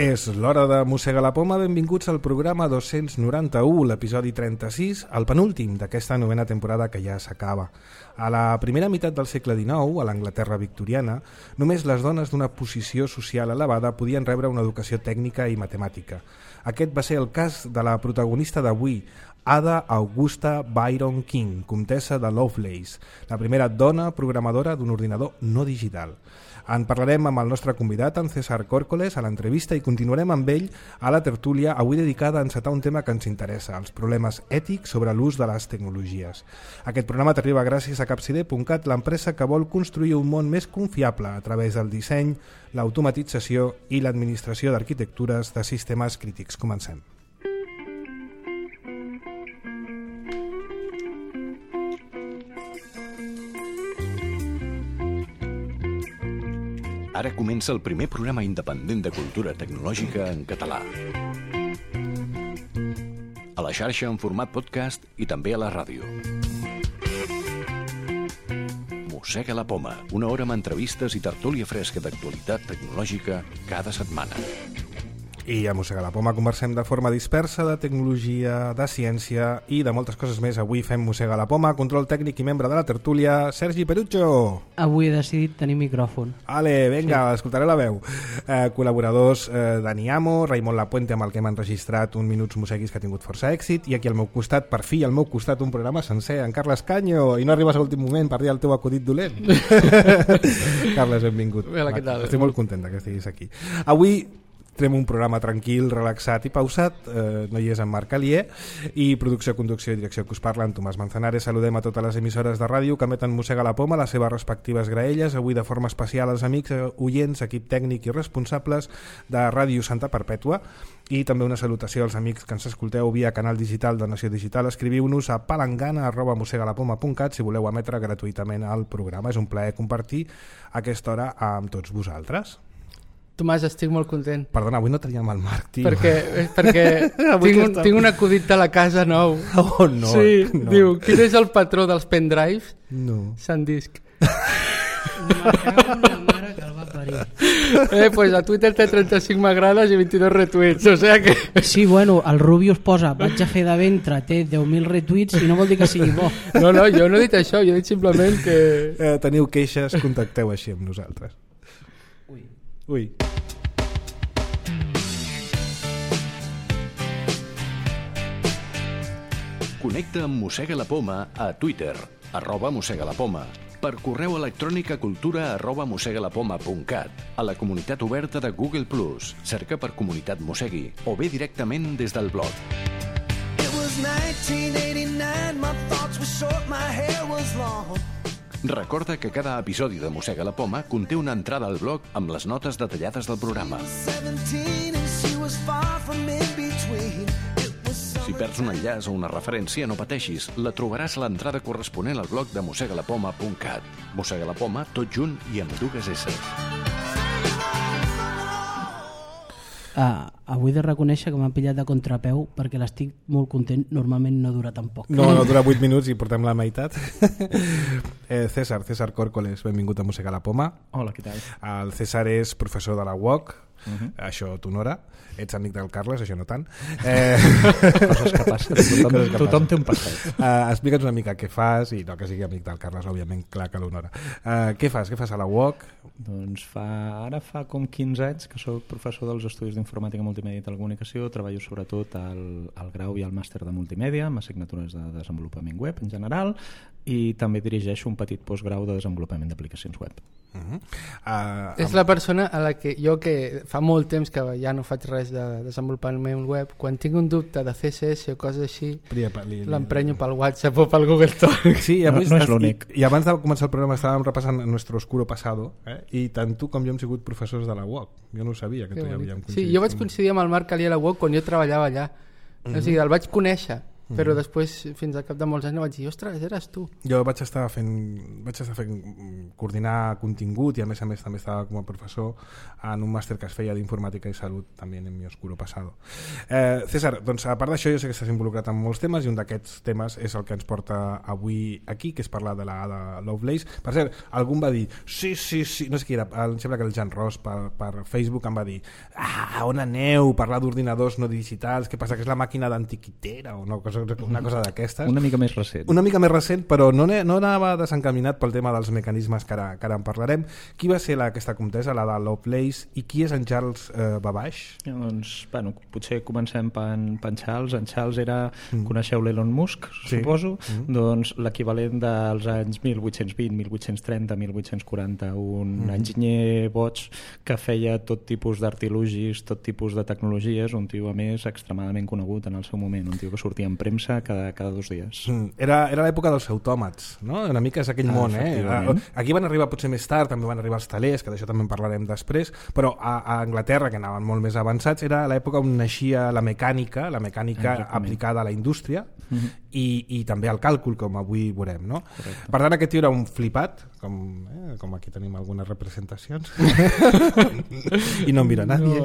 És l'hora de mossegar la poma. Benvinguts al programa 291, l'episodi 36, el penúltim d'aquesta novena temporada que ja s'acaba. A la primera meitat del segle XIX, a l'Anglaterra victoriana, només les dones d'una posició social elevada podien rebre una educació tècnica i matemàtica. Aquest va ser el cas de la protagonista d'avui, Ada Augusta Byron King, comtessa de Lovelace, la primera dona programadora d'un ordinador no digital. En parlarem amb el nostre convidat, en César Córcoles, a l'entrevista i continuarem amb ell a la tertúlia, avui dedicada a encetar un tema que ens interessa, els problemes ètics sobre l'ús de les tecnologies. Aquest programa t'arriba gràcies a Capcide.cat, l'empresa que vol construir un món més confiable a través del disseny, l'automatització i l'administració d'arquitectures de sistemes crítics. Comencem. Ara comença el primer programa independent de cultura tecnològica en català. A la xarxa en format podcast i també a la ràdio. Mossega la poma, una hora amb entrevistes i tertúlia fresca d'actualitat tecnològica cada setmana. I a Mossega la Poma conversem de forma dispersa de tecnologia, de ciència i de moltes coses més. Avui fem Mossega la Poma, control tècnic i membre de la tertúlia, Sergi Perucho. Avui he decidit tenir micròfon. Ale, vinga, sí. Escoltaré la veu. Col·laboradors Dani Amo, Raimon Lapuente, amb el que hem enregistrat un Minuts Mosseguis que ha tingut força èxit, i aquí al meu costat, per fi al meu costat, un programa sencer, en Carles Canyo, i no arribes a l'últim moment per dir el teu acudit dolent. Carles, benvingut. Hola, què tal? Estic molt content que estiguis aquí. Avui tenim un programa tranquil, relaxat i pausat. No hi és en Marc Alier, i producció, conducció i direcció que us parla en Tomàs Manzanares. Saludem a totes les emissores de ràdio que emeten Mossega la Poma, les seves respectives graelles. Avui de forma especial als amics, oients, equip tècnic i responsables de Ràdio Santa Perpètua, i també una salutació als amics que ens escolteu via canal digital de Nació Digital. Escriviu-nos a palangana@mossegalapoma.cat si voleu emetre gratuïtament el programa. És un plaer compartir aquesta hora amb tots vosaltres. Tomàs, estic molt content. Perdona, avui no teníem el Marc, tio. Perquè tinc un acudit de la casa nou. Oh, no. Sí, no. Diu, quin és el patró dels pendrives? No. SanDisk. Me cago en la mare que el va parir. Pues a Twitter té 35 m'agrades i 22 retuits, o sea que... Sí, bueno, el Rubius posa vaig a fer de ventre, té 10.000 retuits i no vol dir que sigui bo. No, jo no he dit això, jo he dit simplement que... Teniu queixes, contacteu així amb nosaltres. Ui. Connecta amb Mossega la Poma a Twitter, @mossegalapoma, per correu electrònic a cultura@mossegalapoma.cat, a la comunitat oberta de Google+, cerca per Comunitat Mossegui, o bé directament des del blog. It was 1989, my thoughts were short, my hair was long. Recorda que cada episodi de Mossega la Poma conté una entrada al blog amb les notes detallades del programa. 17 and she was far from in between. Si perds un enllaç o una referència, no pateixis, la trobaràs a l'entrada corresponent al blog de mossegalapoma.cat. Mossega la Poma, tot junt i amb dues S. Avui he de reconèixer que m'ha pillat de contrapeu perquè l'estic molt content, normalment no dura tan poc. No dura 8 minuts i portem la meitat. César Córcoles, benvingut a Mossega la Poma. Hola, què tal? El César és professor de la UOC, això t'honora. Ets amic del Carles, això no tant. Coses que passen. Tothom té un passet. Explica'ns una mica què fas, i no que sigui amic del Carles, òbviament, clar que l'honora. Què fas a la UOC? Doncs ara fa com 15 anys que soc professor dels estudis d'informàtica, multimèdia i telecomunicació. Treballo sobretot al grau i al màster de multimèdia, amb assignatures de desenvolupament web en general, i també dirigeixo un petit postgrau de desenvolupament d'aplicacions web. És la persona a la que jo, que fa molt temps que ja no faig res de desenvolupament web, quan tinc un dubte de CSS o coses així, l'emprenyo pel WhatsApp o pel Google Talk. Sí, no és l'únic. I abans de començar el programa estàvem repassant nuestro oscuro pasado, i tant tu com jo hem sigut professors de la UOC. Jo no ho sabia que tu ja havíem coincidit. Sí, jo vaig coincidir amb el Marc Alier a la UOC quan jo treballava allà. O sigui, el vaig conèixer però després, fins al cap de molts anys, no vaig dir, ostres, eres tu. Jo vaig estar fent coordinar contingut i a més també estava com a professor en un màster que es feia d'informàtica i salut també en mi oscuro passado. César, doncs a part d'això jo sé que estàs involucrat en molts temes i un d'aquests temes és el que ens porta avui aquí, que és parlar de la Ada Lovelace. Per cert, algú em va dir sí, no sé qui era, em sembla que el Jan Ross per Facebook em va dir on aneu, parlar d'ordinadors no digitals, què passa, que és la màquina d'antiquitera o una cosa d'aquestes. Una mica més recent. Una mica més recent, però no anava desencaminat pel tema dels mecanismes que ara en parlarem. Qui va ser aquesta comtessa, la de Lovelace, i qui és en Charles Babbage? Doncs, bueno, potser comencem per en Charles. En Charles era, coneixeu l'Elon Musk, suposo, doncs l'equivalent dels anys 1820, 1830, 1840, un enginyer boig que feia tot tipus d'artilugis, tot tipus de tecnologies, un tio a més extremadament conegut en el seu moment, un tio que sortia en premsa cada 2 dies. Era l'època dels autòmats, no? Una mica és aquell món, Aquí van arribar potser més tard, també van arribar els talers, que d'això també en parlarem després, però a Anglaterra, que anaven molt més avançats, era l'època on naixia la mecànica aplicada a la indústria i també al càlcul, com avui veurem, no? Correcte. Per tant, aquest tio era un flipat, com aquí tenim algunes representacions i no em mira nadie.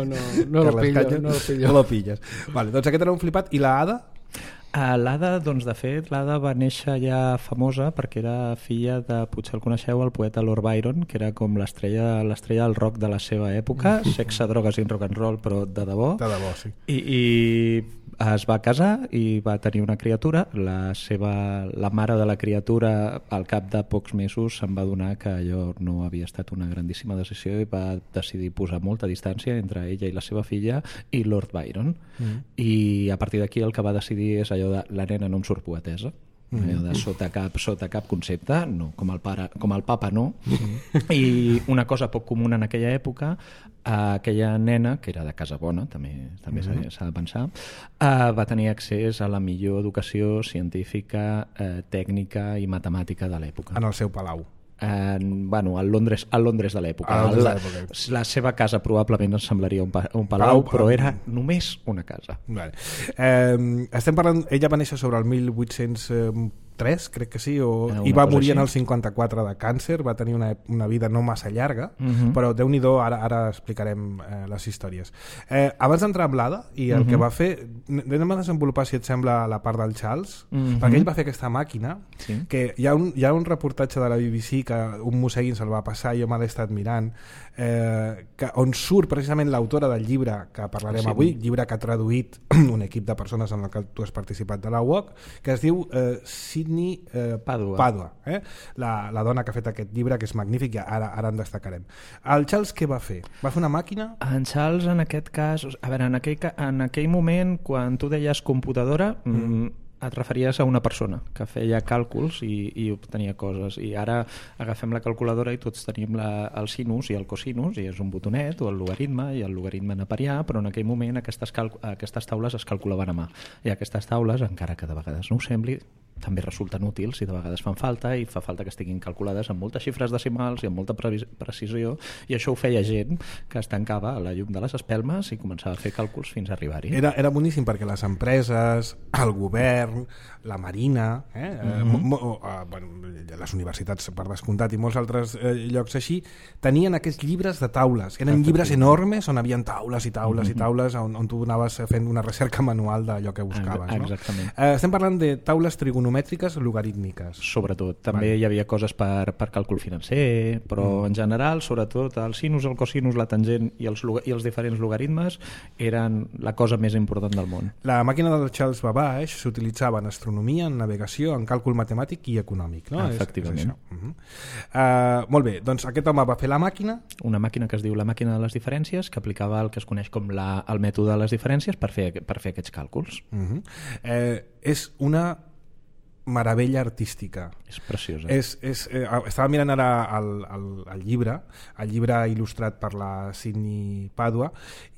No lo pilles. Vale, doncs aquest era un flipat. I la Ada? L'Ada, doncs de fet, l'Ada va néixer ja famosa perquè era filla de, potser el coneixeu, el poeta Lord Byron, que era com l'estrella del rock de la seva època, sexe, drogues i rock and roll, però de debò. De debò, sí. I es va casar i va tenir una criatura. La mare de la criatura, al cap de pocs mesos, se'n va adonar que allò no havia estat una grandíssima decisió i va decidir posar molta distància entre ella i la seva filla i Lord Byron. I a partir d'aquí el que va decidir és allò de la nena no em surt poetesa, de sota cap concepte, no, com el papa no. I una cosa poc comuna en aquella època, aquella nena, que era de casa bona, també s'ha de pensar, va tenir accés a la millor educació científica, tècnica i matemàtica de l'època. En el seu palau. Al Londres de l'època. La seva casa probablement ens semblaria un palau, però era només una casa. Vale. Estem parlant, ella va néixer sobre el 1803, crec que sí, i va morir en el 54 de càncer. Va tenir una vida no massa llarga, però Déu-n'hi-do, ara explicarem les històries. Abans d'entrar amb l'Ada i el que va fer, anem a desenvolupar, si et sembla, la part del Charles, perquè ell va fer aquesta màquina, que hi ha un reportatge de la BBC que un mossèguin se'l va passar, jo me l'he estat mirant, on surt precisament l'autora del llibre que parlarem avui, llibre que ha traduït un equip de persones en el que tu has participat de la UOC, que es diu Sidney Padua, la dona que ha fet aquest llibre, que és magnífic, i ara en destacarem. El Charles què va fer? Va fer una màquina? En Charles, en aquest cas, a veure, en aquell moment, quan tu deies computadora, et referies a una persona que feia càlculs i obtenia coses, i ara agafem la calculadora i tots tenim el sinus i el cosinus, i és un botonet, o el logaritme i el logaritme neperià, però en aquell moment aquestes taules es calculaven a mà, i aquestes taules, encara que de vegades no ho sembli, també resulten útils i de vegades fan falta, i fa falta que estiguin calculades amb moltes xifres decimals i amb molta precisió, i això ho feia gent que es tancava a la llum de les espelmes i començava a fer càlculs fins a arribar-hi. Era boníssim perquè les empreses, el govern, la Marina, les universitats per descomptat i molts altres llocs així, tenien aquests llibres de taules. Eren llibres enormes on havia taules i taules i taules on tu anaves fent una recerca manual d'allò que buscaves. Exactament. Estem parlant de taules trigonomètriques logarítmiques. Sobretot. També hi havia coses per càlcul financer, però en general, sobretot, el sinus, el cosinus, la tangent i els diferents logaritmes eren la cosa més important del món. La màquina del Charles Babbage s'utilitzava en astronomia, en navegació, en càlcul matemàtic i econòmic, no? Efectivament. Molt bé, doncs aquest home va fer la màquina. Una màquina que es diu la màquina de les diferències, que aplicava el que es coneix com el mètode de les diferències per fer aquests càlculs. És una meravella artística. És preciosa. Estava mirant ara el llibre il·lustrat per la Sidney Padua,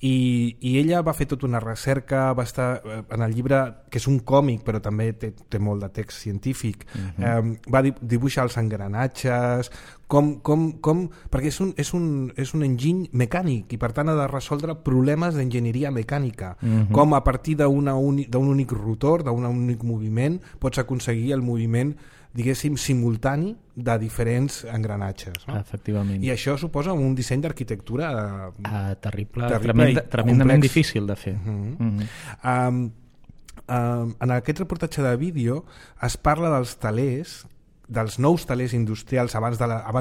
i ella va fer tota una recerca, va estar en el llibre, que és un còmic però també té molt de text científic, va dibuixar els engranatges, perquè és un enginy mecànic i per tant ha de resoldre problemes d'enginyeria mecànica, com a partir d'un únic rotor, d'un únic moviment pots aconseguir el moviment, diguéssim, simultani de diferents engranatges, no? Efectivament. I això suposa un disseny d'arquitectura terrible tremendament difícil de fer. En aquest reportatge de vídeo es parla dels nous talers industrials abans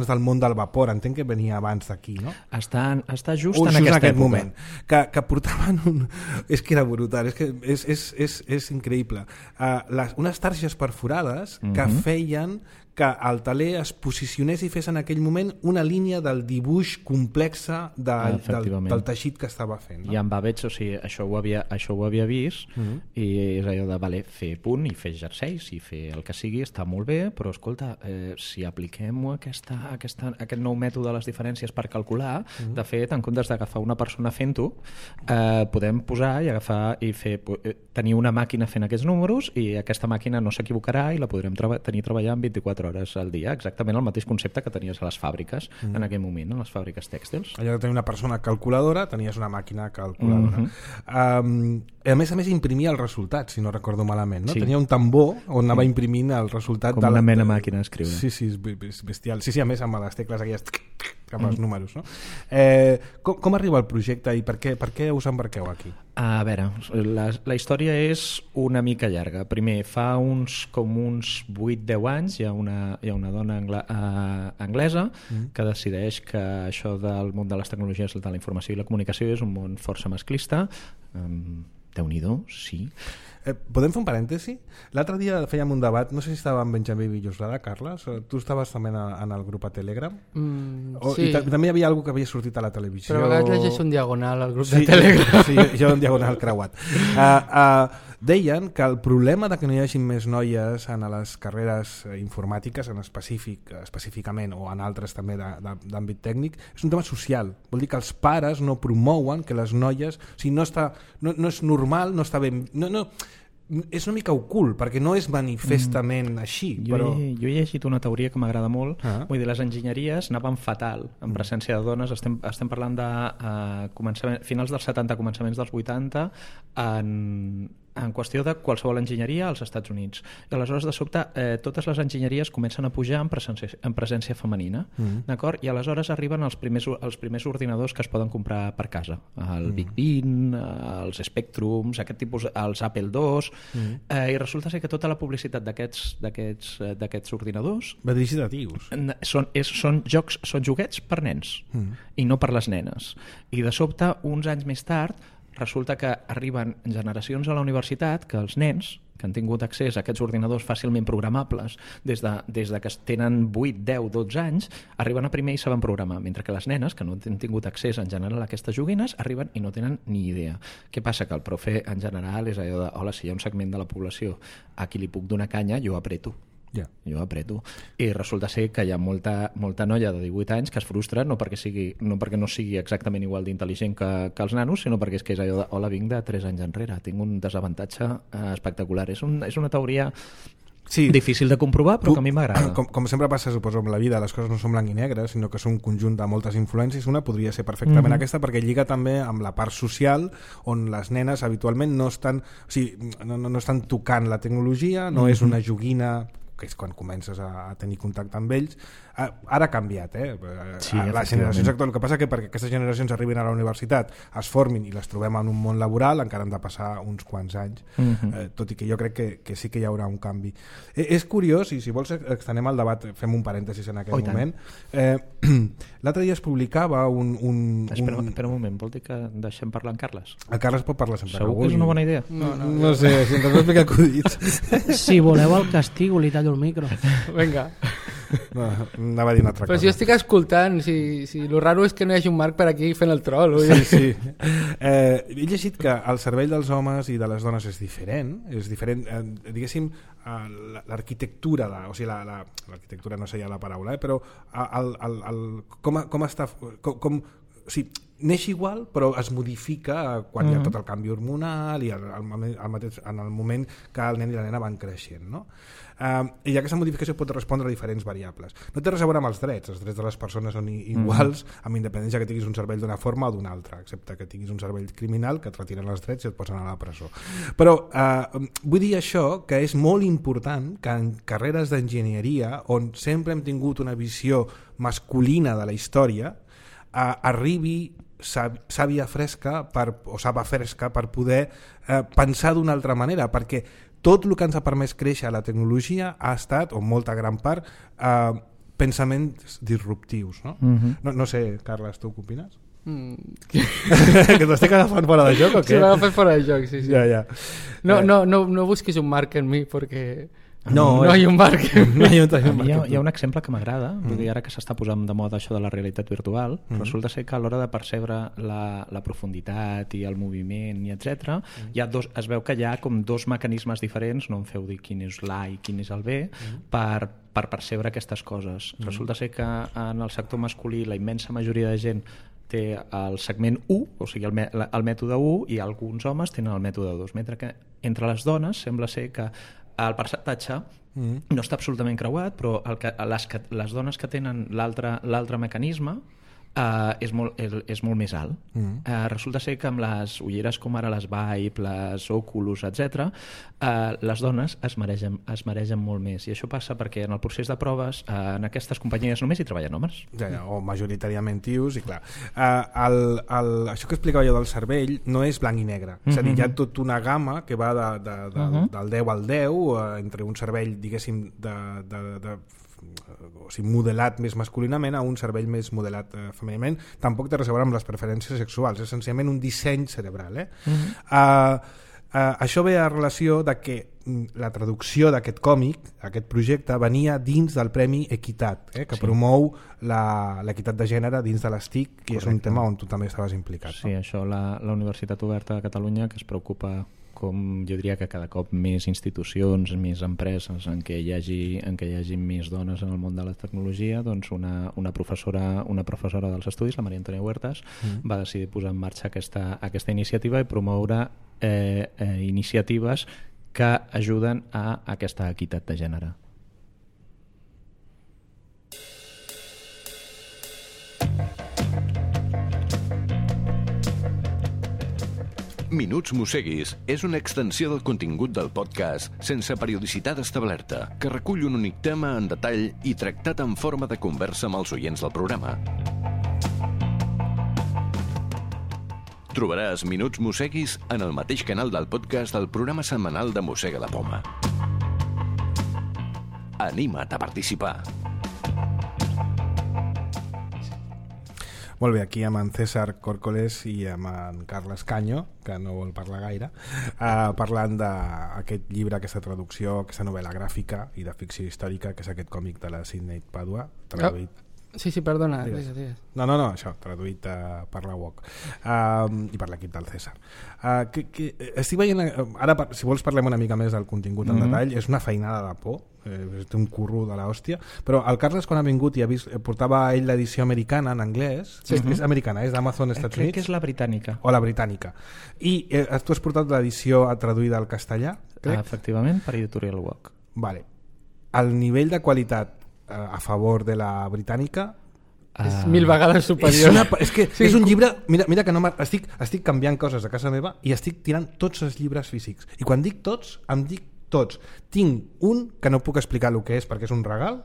del món del vapor, entenc que venia abans d'aquí, no? Està just en aquesta època. Moment, que portaven és que era brutal, és increïble. Unes targes perforades que feien que el taler es posicionés i fes en aquell moment una línia del dibuix complexe del teixit que estava fent, no? I amb Babbage, o sigui, això ho havia vist, i és allò de fer punt i fer jerseis i fer el que sigui, està molt bé, però escolta, si apliquem aquest nou mètode de les diferències per calcular, de fet, en comptes d'agafar una persona fent-ho, podem posar i agafar i tenir una màquina fent aquests números, i aquesta màquina no s'equivocarà i la podrem tenir treballant 24 hores al dia, exactament el mateix concepte que tenies a les fàbriques en aquell moment, en les fàbriques tèxtils. Allò de tenir una persona calculadora, tenies una màquina calculadora. A més imprimia el resultat, si no recordo malament, no? Sí. Tenia un tambor on anava imprimint el resultat com una mena màquina d'escriure. Sí, és bestial. Sí, a més amb les tecles aquelles cap als números, no? Com arriba el projecte i per què us embarqueu aquí? A veure, la història és una mica llarga. Primer, fa uns 8-10 anys hi ha una dona anglesa que decideix que això del món de les tecnologies de la informació i la comunicació és un món força masclista. Déu-n'hi-do, sí. Podem fer un parèntesi? L'altre dia fèiem un debat, no sé si estava amb Benjamí Villoslada, Carles, tu estaves també en el grup a Telegram? Sí. I també hi havia alguna que havia sortit a la televisió. Però a vegades llegeix un diagonal al grup de Telegram. Sí, jo un diagonal creuat. Deien que el problema de que no hi hagi més noies en les carreres informàtiques en específicament o en altres també d'àmbit tècnic és un tema social. Vol dir que els pares no promouen que les noies, o sigui, no és normal, no està ben... és una mica ocult perquè no és manifestament així, però... Jo he llegit una teoria que m'agrada molt. Vull dir, les enginyeries anaven fatal en presència de dones. Estem parlant de finals dels 70, començaments dels 80, en qüestió de qualsevol enginyeria als Estats Units. I aleshores, de sobte, totes les enginyeries comencen a pujar en presència femenina, d'acord? I aleshores arriben els primers ordinadors que es poden comprar per casa. El Big Ben, els Spectrums, aquest tipus, els Apple II, i resulta ser que tota la publicitat d'aquests ordinadors... Va dirigida a tios. Són joguets per nens, i no per les nenes. I de sobte, uns anys més tard, resulta que arriben generacions a la universitat que els nens que han tingut accés a aquests ordinadors fàcilment programables des de que tenen 8, 10, 12 anys, arriben a primer i saben programar, mentre que les nenes, que no han tingut accés en general a aquestes joguines, arriben i no tenen ni idea. Què passa? Que el profe en general és allò de, hola, si hi ha un segment de la població a qui li puc donar canya, jo apreto. Jo apreto. I resulta ser que hi ha molta noia de 18 anys que es frustra no perquè no sigui exactament igual d'intel·ligent que els nanos, sinó perquè és allò de, hola, vinc de 3 anys enrere, tinc un desavantatge espectacular. És una teoria difícil de comprovar, però que a mi m'agrada. Com sempre passa, suposo, amb la vida, les coses no són blanc i negre, sinó que són un conjunt de moltes influències. Una podria ser perfectament aquesta, perquè lliga també amb la part social, on les nenes habitualment no estan tocant la tecnologia, no és una joguina que és quan comences a tenir contacte amb ells. Ara ha canviat, les generacions actuals. El que passa que perquè aquestes generacions arribin a la universitat, es formin i les trobem en un món laboral, encara han de passar uns quants anys, tot i que jo crec que sí que hi haurà un canvi. És curiós, i si vols extenem el debat, fem un parèntesis en aquest moment. L'altre dia es publicava Espera un moment, vol dir que deixem parlar en Carles? El Carles pot parlar sempre. Segur que és una bona idea? No sé, si ens has explicat acudits. Si voleu el castigo, li tallo el micro. Vinga. No, anava a dir una altra cosa. Però si jo estic escoltant, si lo raro és que no hi hagi un Marc per aquí fent el troll. Sí. He llegit que el cervell dels homes i de les dones és diferent, diguéssim, l'arquitectura, o sigui, l'arquitectura no seria la paraula, però com està... O sigui, neix igual però es modifica quan hi ha tot el canvi hormonal i en el moment que el nen i la nena van creixent, no? I aquesta modificació pot respondre a diferents variables. No té res a veure amb els drets de les persones són iguals amb independència que tinguis un cervell d'una forma o d'una altra, excepte que tinguis un cervell criminal que et retiren els drets i et posen a la presó. Però vull dir això, que és molt important que en carreres d'enginyeria on sempre hem tingut una visió masculina de la història arribi sàvia fresca o saba fresca per poder pensar d'una altra manera, perquè tot el que ens ha permès créixer a la tecnologia ha estat, o molta gran part, pensaments disruptius, no? No sé, Carles, tu què opines? Que t'estic agafant fora de joc o què? Sí, m'ha agafat fora de joc, sí. Ja. No busquis un marc en mi perquè... No hi ha un marc. Hi ha un exemple que m'agrada, vull dir, ara que s'està posant de moda això de la realitat virtual, resulta ser que a l'hora de percebre la profunditat i el moviment i etc, es veu que hi ha com dos mecanismes diferents, no em feu dir quin és l'A i quin és el B, per percebre aquestes coses. Resulta ser que en el sector masculí la immensa majoria de gent té el segment 1, o sigui el mètode 1, i alguns homes tenen el mètode 2, mentre que entre les dones sembla ser que el percentatge no està absolutament creuat, però les dones que tenen l'altre mecanisme és molt més alt. Resulta ser que amb les ulleres com ara les Vive, les Oculus, etc, les dones es maregen molt més, i això passa perquè en el procés de proves en aquestes companyies només hi treballen homes. O majoritàriament tios, i clar, això que explicava jo del cervell no és blanc i negre, és a dir, hi ha tota una gamma que va del 10 al 10 entre un cervell, diguéssim, o sigui, modelat més masculinament a un cervell més modelat femenament. Tampoc té res a veure amb les preferències sexuals, és essencialment un disseny cerebral. Això ve a relació de que la traducció d'aquest còmic, aquest projecte, venia dins del Premi Equitat, que promou l'equitat de gènere dins de les TIC, que és un tema on tu també estaves implicat. Sí, això la Universitat Oberta de Catalunya, que es preocupa, com jo diria que cada cop més institucions, més empreses en què hi hagi més dones en el món de la tecnologia, doncs una professora dels estudis, la Maria Antònia Huertas, va decidir posar en marxa aquesta iniciativa i promoure iniciatives que ajuden a aquesta equitat de gènere. Minuts Mosseguis és una extensió del contingut del podcast sense periodicitat establerta, que recull un únic tema en detall i tractat en forma de conversa amb els oients del programa. Trobaràs Minuts Mosseguis en el mateix canal del podcast del programa setmanal de Mossega la Poma. Anima't a participar. Molt bé, aquí amb en César Córcoles i amb en Carles Canyo, que no vol parlar gaire, parlant d'aquest llibre, aquesta traducció, aquesta novel·la gràfica i de ficció històrica, que és aquest còmic de la Sidney Padua, traduït... Sí, perdona. Digues. No, això, traduït per la UOC i per l'equip del César. Estic veient, ara, si vols parlem una mica més del contingut en detall, és una feinada de por, té un curro de l'hòstia, però el Carles quan ha vingut i portava ell l'edició americana en anglès, és americana, és d'Amazon Estats Units? Crec que és la britànica. O la britànica. I tu has portat l'edició traduïda al castellà? Efectivament, per Editorial UOC. Vale. El nivell de qualitat a favor de la britànica és 1000 vegades superior. És un llibre, mira que no estic canviant coses a casa meva i estic tirant tots els llibres físics, i quan dic tots, em dic tots. Tinc un que no puc explicar el que és perquè és un regal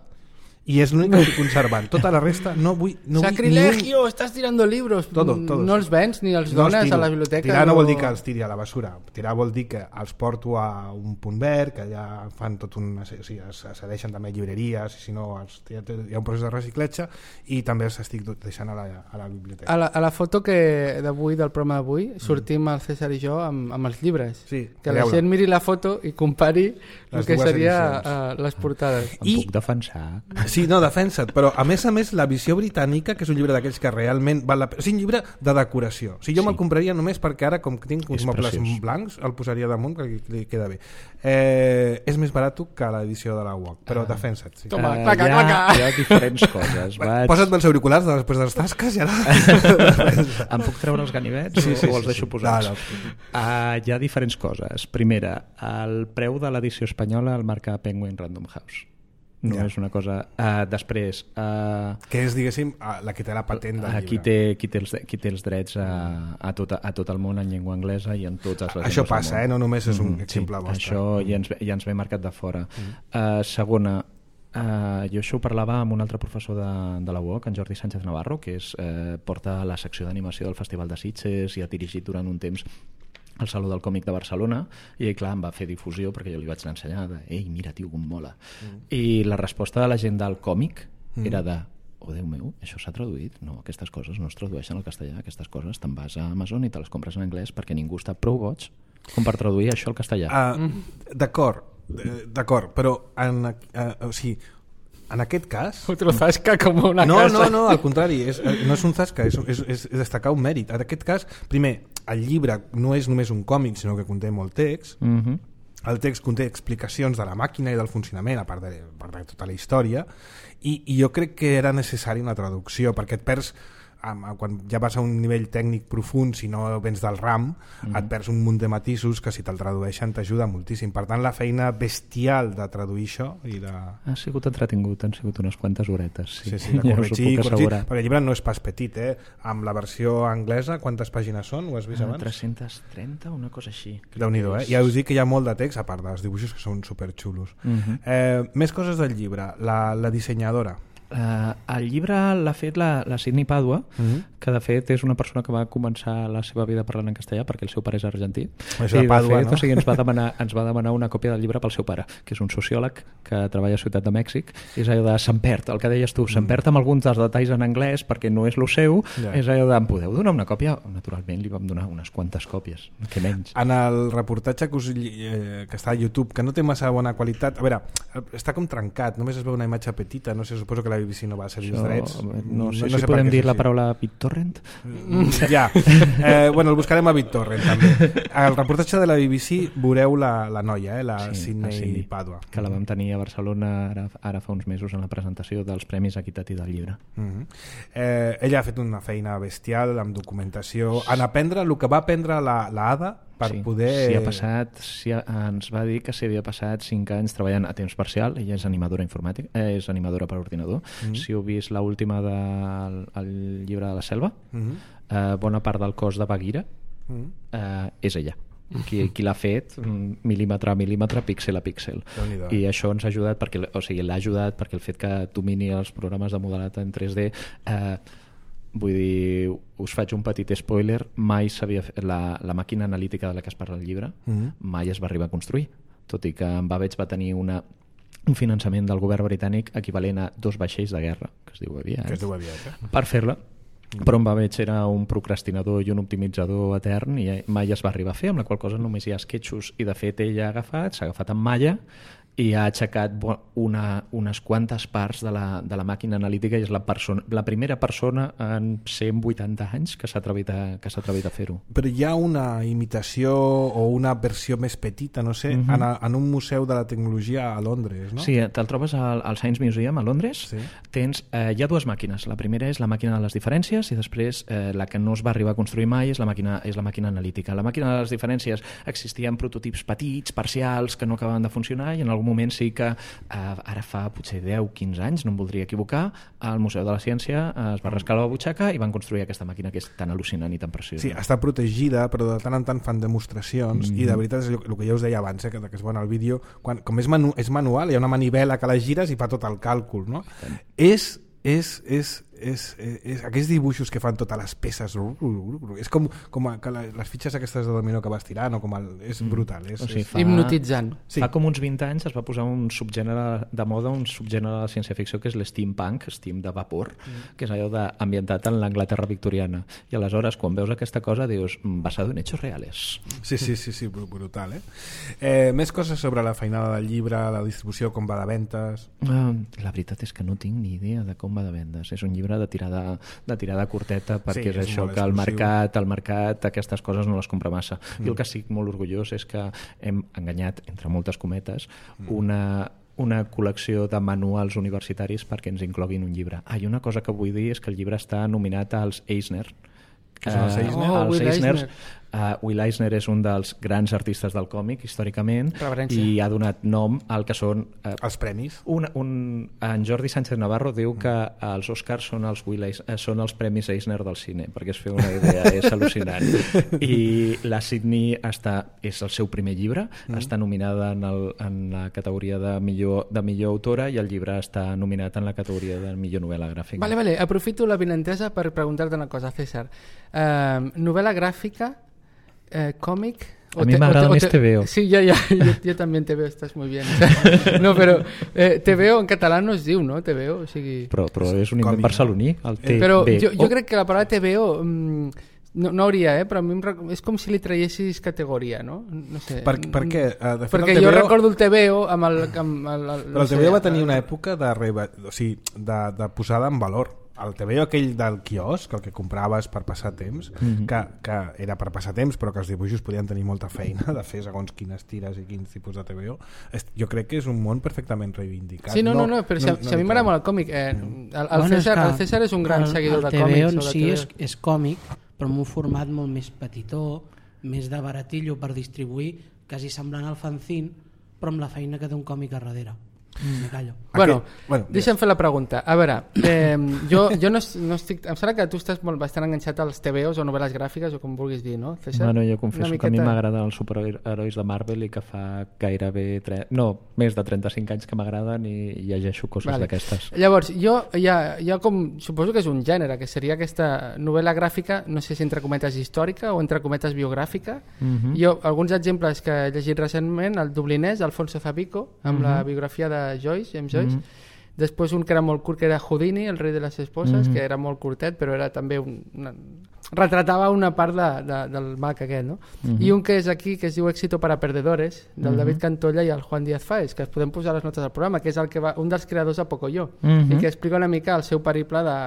i és l'únic que estic conservant. Tota la resta no vull Sacrilegio, estàs tirando libros. No els vens ni els dones a la biblioteca. Tirar no vol dir que els tiri a la basura. Tirar vol dir que els porto a un punt verd, que allà fan tot un... O sigui, es cedeixen també llibreries, i si no hi ha un procés de reciclatge, i també els estic deixant a la biblioteca. A la foto d'avui, del programa d'avui, sortim el César i jo amb els llibres. Sí, que la gent miri la foto i compari el que seria les portades. Em puc defensar. Sí, no, defensa't, però a més, la visió britànica, que és un llibre d'aquells que realment val la pena, o sigui, un llibre de decoració. O sigui, jo me'l compraria només perquè ara, com que tinc uns mobles blancs, el posaria damunt, que li queda bé. És més barat que l'edició de la UOC, però defensa't. Sí. Toma, claca. Hi ha diferents coses. Posa't els auriculars després de les tasques i ara... Em puc treure els ganivets o els deixo posats? Hi ha diferents coses. Primera, el preu de l'edició espanyola el marca Penguin Random House. No és una cosa... Després... que és, diguéssim, la que té la patent del llibre. Qui té els drets a tot el món en llengua anglesa i en totes les llengües això passa, no només és un exemple vostre. Això ja ens ve marcat de fora. Segona, jo això ho parlava amb un altre professor de la UOC, en Jordi Sánchez Navarro, que porta la secció d'animació del Festival de Sitges i ha dirigit durant un temps al Saló del Còmic de Barcelona, i clar, em va fer difusió perquè jo li vaig ensenyar ei, mira, tio, com mola. I la resposta de la gent del còmic era de oh, Déu meu, això s'ha traduït? No, aquestes coses no es tradueixen al castellà, aquestes coses te'n vas a Amazon i te les compres en anglès perquè ningú està prou boig com per traduir això al castellà. D'acord, però o sigui, en aquest cas... Otro zasca com una casa. No, al contrari, no és un zasca, és destacar un mèrit. En aquest cas, primer, el llibre no és només un còmic, sinó que conté molt text. El text conté explicacions de la màquina i del funcionament, a part de tota la història, i jo crec que era necessari una traducció, perquè et perds... quan ja vas a un nivell tècnic profund, si no vens del RAM, et perds un munt de matisos que si te'l tradueixen t'ajuda moltíssim. Per tant, la feina bestial de traduir això i de... Ha sigut entretingut, han sigut unes quantes horetes. Sí, de corregir, perquè el llibre no és pas petit, amb la versió anglesa, quantes pàgines són? Ho has vist abans? 330, una cosa així. Déu-n'hi-do, Ja us dic que hi ha molt de text, a part dels dibuixos que són superxulos. Més coses del llibre. La dissenyadora. El llibre l'ha fet la Sidney Padua, que de fet és una persona que va començar la seva vida parlant en castellà perquè el seu pare és argentí. Això de Padua, no? O sigui, ens va demanar una còpia del llibre pel seu pare, que és un sociòleg que treballa a Ciutat de Mèxic. És allò de se'n perd, el que deies tu, se'n perd amb alguns dels detalls en anglès perquè no és lo seu, és allò de em podeu donar una còpia? Naturalment li vam donar unes quantes còpies, que menys. En el reportatge que està a YouTube, que no té massa bona qualitat, a veure, està com trencat, només es veu una imatge petita, no sé, suposo que la BBC no va cedir els drets. No sé si podem dir la paraula BitTorrent. Ja. Bueno, el buscarem a BitTorrent també. Al reportatge de la BBC veureu la noia, la Sidney Padua. Que la vam tenir a Barcelona ara fa uns mesos en la presentació dels Premis Equitat i del Llibre. Ella ha fet una feina bestial amb documentació, en aprendre el que va aprendre la Ada per poder... ens va dir que s'hi havia passat 5 anys treballant a temps parcial. Ella és animadora informàtica, és animadora per ordinador. Si heu vist l'última del llibre de la selva, bona part del cos de Bagheera és ella. Qui l'ha fet mil·límetre a mil·límetre, píxel a píxel. I això ens ha ajudat l'ha ajudat perquè el fet que domini els programes de modelat en 3D, vull dir, us faig un petit spoiler, mai s'havia fet la màquina analítica de la que es parla al llibre, mai es va arribar a construir, tot i que en Babbage va tenir un finançament del govern britànic equivalent a 2 vaixells de guerra, que es diu aviat, per fer-la. Però en Babbage era un procrastinador i un optimitzador etern i mai es va arribar a fer, amb la qual cosa només hi ha esquetxos, i de fet ell s'ha agafat amb malla i ha aixecat unes quantes parts de la màquina analítica, i és la primera persona en 180 anys que s'ha atrevit a fer-ho. Però hi ha una imitació o una versió més petita, no sé, en un museu de la tecnologia a Londres, no? Sí, te'l trobes al Science Museum a Londres. Hi ha 2 màquines. La primera és la màquina de les diferències i després la que no es va arribar a construir mai és la màquina analítica. La màquina de les diferències existien prototips petits, parcials, que no acabaven de funcionar, i en algun moment sí que ara fa potser 10-15 anys, no em voldria equivocar, al Museu de la Ciència es va rascar la butxaca i van construir aquesta màquina que és tan al·lucinant i tan preciosa. Sí, està protegida, però de tant en tant fan demostracions, i de veritat és el que ja us deia abans, que es veu en el vídeo, com és manual, hi ha una manivela que la gires i fa tot el càlcul, no? És aquests dibuixos que fan totes les peces, és com que les fitxes aquestes de dominó que vas tirant, és brutal. Hipnotitzant. Fa com uns 20 anys es va posar un subgènere de moda, un subgènere de la ciència-ficció que és l'steampunk, steam de vapor, que és allò ambientat en l'Anglaterra victoriana. I aleshores, quan veus aquesta cosa, dius, basado en hechos reales. Sí, brutal, més coses sobre la feinada del llibre, la distribució, com va de ventes... La veritat és que no tinc ni idea de com va de vendes. És un llibre de tirada curteta, perquè és això que el mercat aquestes coses no les compra massa. I el que estic molt orgullós és que hem enganyat, entre moltes cometes, una col·lecció de manuals universitaris perquè ens incloguin un llibre. I una cosa que vull dir és que el llibre està nominat als Eisner. Què són els Eisner? Els Eisner. Will Eisner és un dels grans artistes del còmic històricament i ha donat nom al que són els premis. En Jordi Sánchez Navarro diu que els Oscars són els premis Eisner del cine, perquè es feu una idea, és al·lucinant. I la Sydney és el seu primer llibre, està nominada en la categoria de millor autora i el llibre està nominat en la categoria de millor novel·la gràfica. Vale, aprofito la vinentesa per preguntar-te una cosa, César. Novel·la gràfica, còmic... A mi m'agrada més TVO. Sí, yo también TVO, estás muy bien. No, però TVO en català no es diu, no? TVO, o sigui... Però és un invent barceloní, el TVO. Però jo crec que la paraula TVO no hauria, però a mi és com si li traiessis categoria, no? No sé. Per què? Perquè jo recordo el TVO amb el... Però el TVO va tenir una època de posada en valor. El TVO aquell del quiosc, el que compraves per passar temps, que era per passar temps, però que els dibuixos podien tenir molta feina de fer segons quines tires i quins tipus de TVO, jo crec que és un món perfectament reivindicat. Sí, no, però si a mi m'agrada molt el còmic. El César és un gran seguidor de còmics. El TVO sí és còmic, però en un format molt més petitó, més de baratillo per distribuir, quasi semblant al fanzine, però amb la feina que té un còmic a darrere. Me callo. Bueno, deixa'm fer la pregunta. A veure, jo no estic... Em sembla que tu estàs bastant enganxat als TVOs o novel·les gràfiques o com vulguis dir, no, César? Bueno, jo confesso que a mi m'agraden els superherois de Marvel i que fa gairebé més de 35 anys que m'agraden i llegeixo coses d'aquestes. Llavors, jo com... Suposo que és un gènere, que seria aquesta novel·la gràfica, no sé si entre cometes històrica o entre cometes biogràfica. Jo, alguns exemples que he llegit recentment, el dublinès, Alfonso Zapico, amb la biografia de Joyce, James Joyce. Després un que era molt curt, que era Houdini, el rei de les esposes, que era molt curtet, però era també retratava una part del mag aquest, no? I un que és aquí, que es diu Éxito para perdedores, del David Cantolla i el Juan Díaz Fáez, que es podem posar a les notes del programa, que és un dels creadors de Pocoyo, i que explica una mica el seu periple de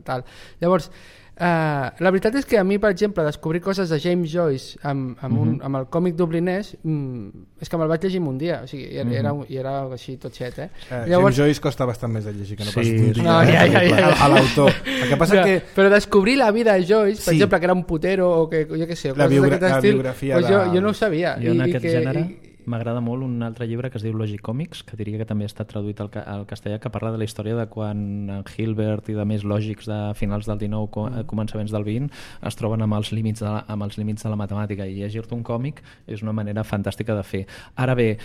tal. Llavors, la veritat és que a mi, per exemple, descobrir coses de James Joyce amb el còmic dublinès és que me'l vaig llegir un dia, o sigui, era així tot xet, James Joyce costa bastant més de llegir que no pas un dia a l'autor. El que passa que... Però descobrir la vida de Joyce, per exemple, que era un putero o que, jo què sé, la biografia jo no ho sabia. Jo en aquest gènere m'agrada molt un altre llibre que es diu Logic Comics, que diria que també ha estat traduït al castellà, que parla de la història de quan Hilbert i de més lògics de finals del 19, començaments del 20 es troben amb els límits de la matemàtica, i llegir-te un còmic és una manera fantàstica de fer. Ara bé,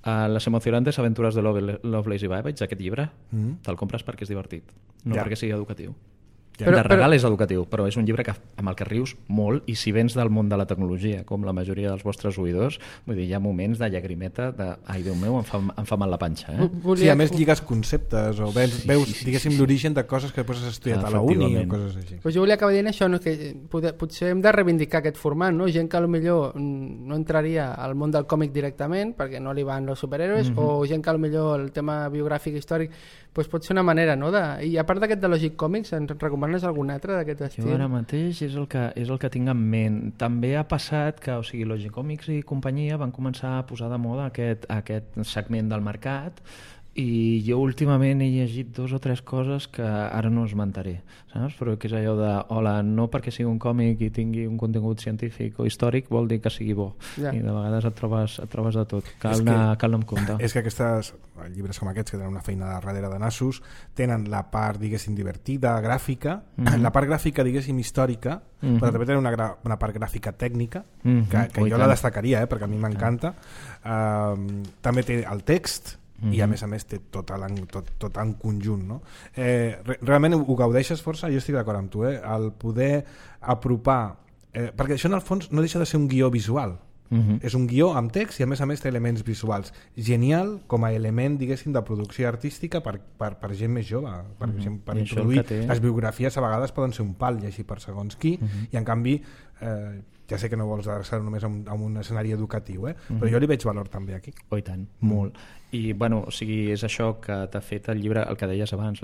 Les emocionantes aventuras de Lovelace i Babbage, aquest llibre, te'l compres perquè és divertit, no perquè sigui educatiu. De regal és educatiu, però és un llibre amb el que rius molt, i si vens del món de la tecnologia, com la majoria dels vostres oïdors, vull dir, hi ha moments de llagrimeta de, ai, Déu meu, em fa mal la panxa. Sí, a més lligues conceptes o veus, diguéssim, l'origen de coses que després has estudiat a la uni o coses així. Pues jo volia acabar dient això, no? Que potser hem de reivindicar aquest format, no? Gent que potser no entraria al món del còmic directament perquè no li van els superhéroes, o gent que potser el tema biogràfic històric pues pot ser una manera, no? I a part d'aquest de Logic Comics, ens recomanes algun altre d'aquest estil? Jo ara mateix és el que tinc en ment. També ha passat que, o sigui, Logic Comics i companyia van començar a posar de moda aquest segment del mercat, i jo últimament he llegit 2 o 3 coses que ara no esmentaré, saps? Però que és allò de, hola, no perquè sigui un còmic i tingui un contingut científic o històric vol dir que sigui bo, i de vegades et trobes de tot, cal anar amb compte. És que aquests llibres com aquests, que tenen una feina darrere de nassos, tenen la part, diguéssim, divertida, gràfica, la part gràfica, diguéssim, històrica, però també tenen una part gràfica tècnica, que jo la destacaria, perquè a mi m'encanta. També té el text, i a més té tot en conjunt, no? Realment ho gaudeixes força, jo estic d'acord amb tu, el poder apropar, perquè això en el fons no deixa de ser un guió visual. És un guió amb text i a més té elements visuals. Genial com a element, diguéssim, de producció artística per gent més jove, per introduir les biografies a vegades poden ser un pal llegir per segons qui, i en canvi ja sé que no vols adreçar només a un escenari educatiu, però jo li veig valor també aquí. Oh, i tant, molt. I bueno, o sigui, és això que t'ha fet el llibre, el que deies abans,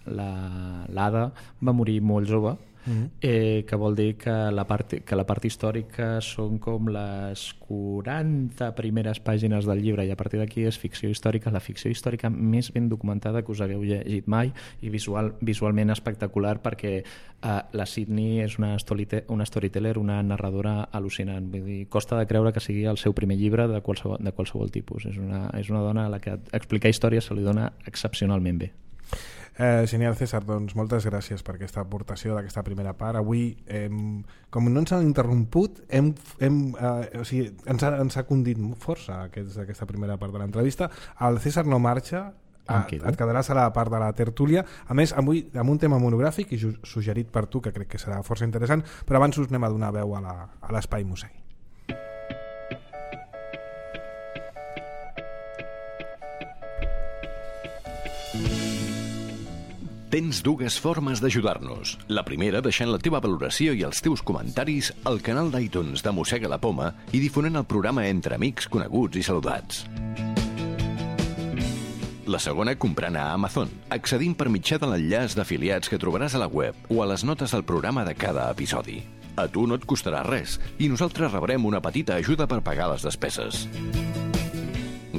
l'Ada va morir molt jove, que vol dir que la part històrica són com les 40 primeres pàgines del llibre, i a partir d'aquí és ficció històrica, la ficció històrica més ben documentada que us hagueu llegit mai, i visualment espectacular, perquè la Sydney és una storyteller, una narradora al·lucinant. Vull dir, costa de creure que sigui el seu primer llibre de qualsevol tipus. És una dona a la que explicar històries se li dona excepcionalment bé. Genial, César, doncs moltes gràcies per aquesta aportació d'aquesta primera part. Avui, com no ens han interromput, ens ha condit força aquesta primera part de l'entrevista. El César no marxa, et quedaràs a la part de la tertúlia, a més avui amb un tema monogràfic i suggerit per tu, que crec que serà força interessant, però abans us anem a donar veu a l'Espai Musegui. Tens dues formes d'ajudar-nos. La primera, deixant la teva valoració i els teus comentaris al canal d'iTunes de Mossega la Poma i difonent el programa entre amics, coneguts i saludats. La segona, comprant a Amazon, accedint per mitjà de l'enllaç d'afiliats que trobaràs a la web o a les notes del programa de cada episodi. A tu no et costarà res i nosaltres rebrem una petita ajuda per pagar les despeses.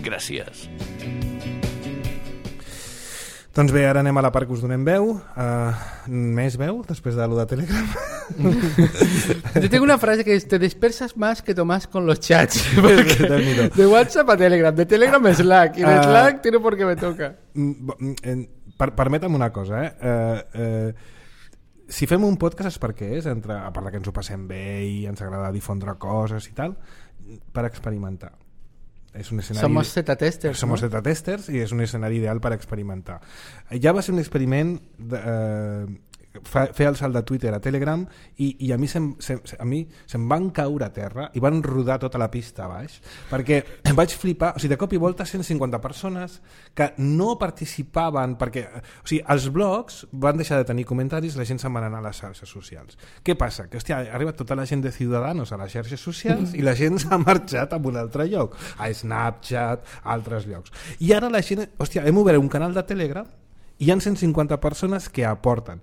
Gràcies. Doncs bé, ara anem a la part que us donem veu. Més veu, després de lo de Telegram? Yo tengo una frase que es: te dispersas más que Tomás con los chats. De WhatsApp a Telegram, de Telegram a Slack, y de Slack tiro porque me toca. Permetem una cosa, si fem un podcast és perquè és, a part que ens ho passem bé i ens agrada difondre coses i tal, per experimentar. Somos Z-testers, Somos Z-testers i és un escenari ideal per experimentar. Ja va ser un experiment fer el salt de Twitter a Telegram i a mi se'm van caure a terra i van rodar tota la pista a baix, perquè em vaig flipar. O sigui, de cop i volta 150 persones que no participaven, perquè els blogs van deixar de tenir comentaris, la gent se'n va anar a les xarxes socials. Què passa? Que ha arribat tota la gent de Ciudadanos a les xarxes socials i la gent s'ha marxat a un altre lloc, a Snapchat, a altres llocs. I ara la gent, hem obert un canal de Telegram i hi ha 150 persones que aporten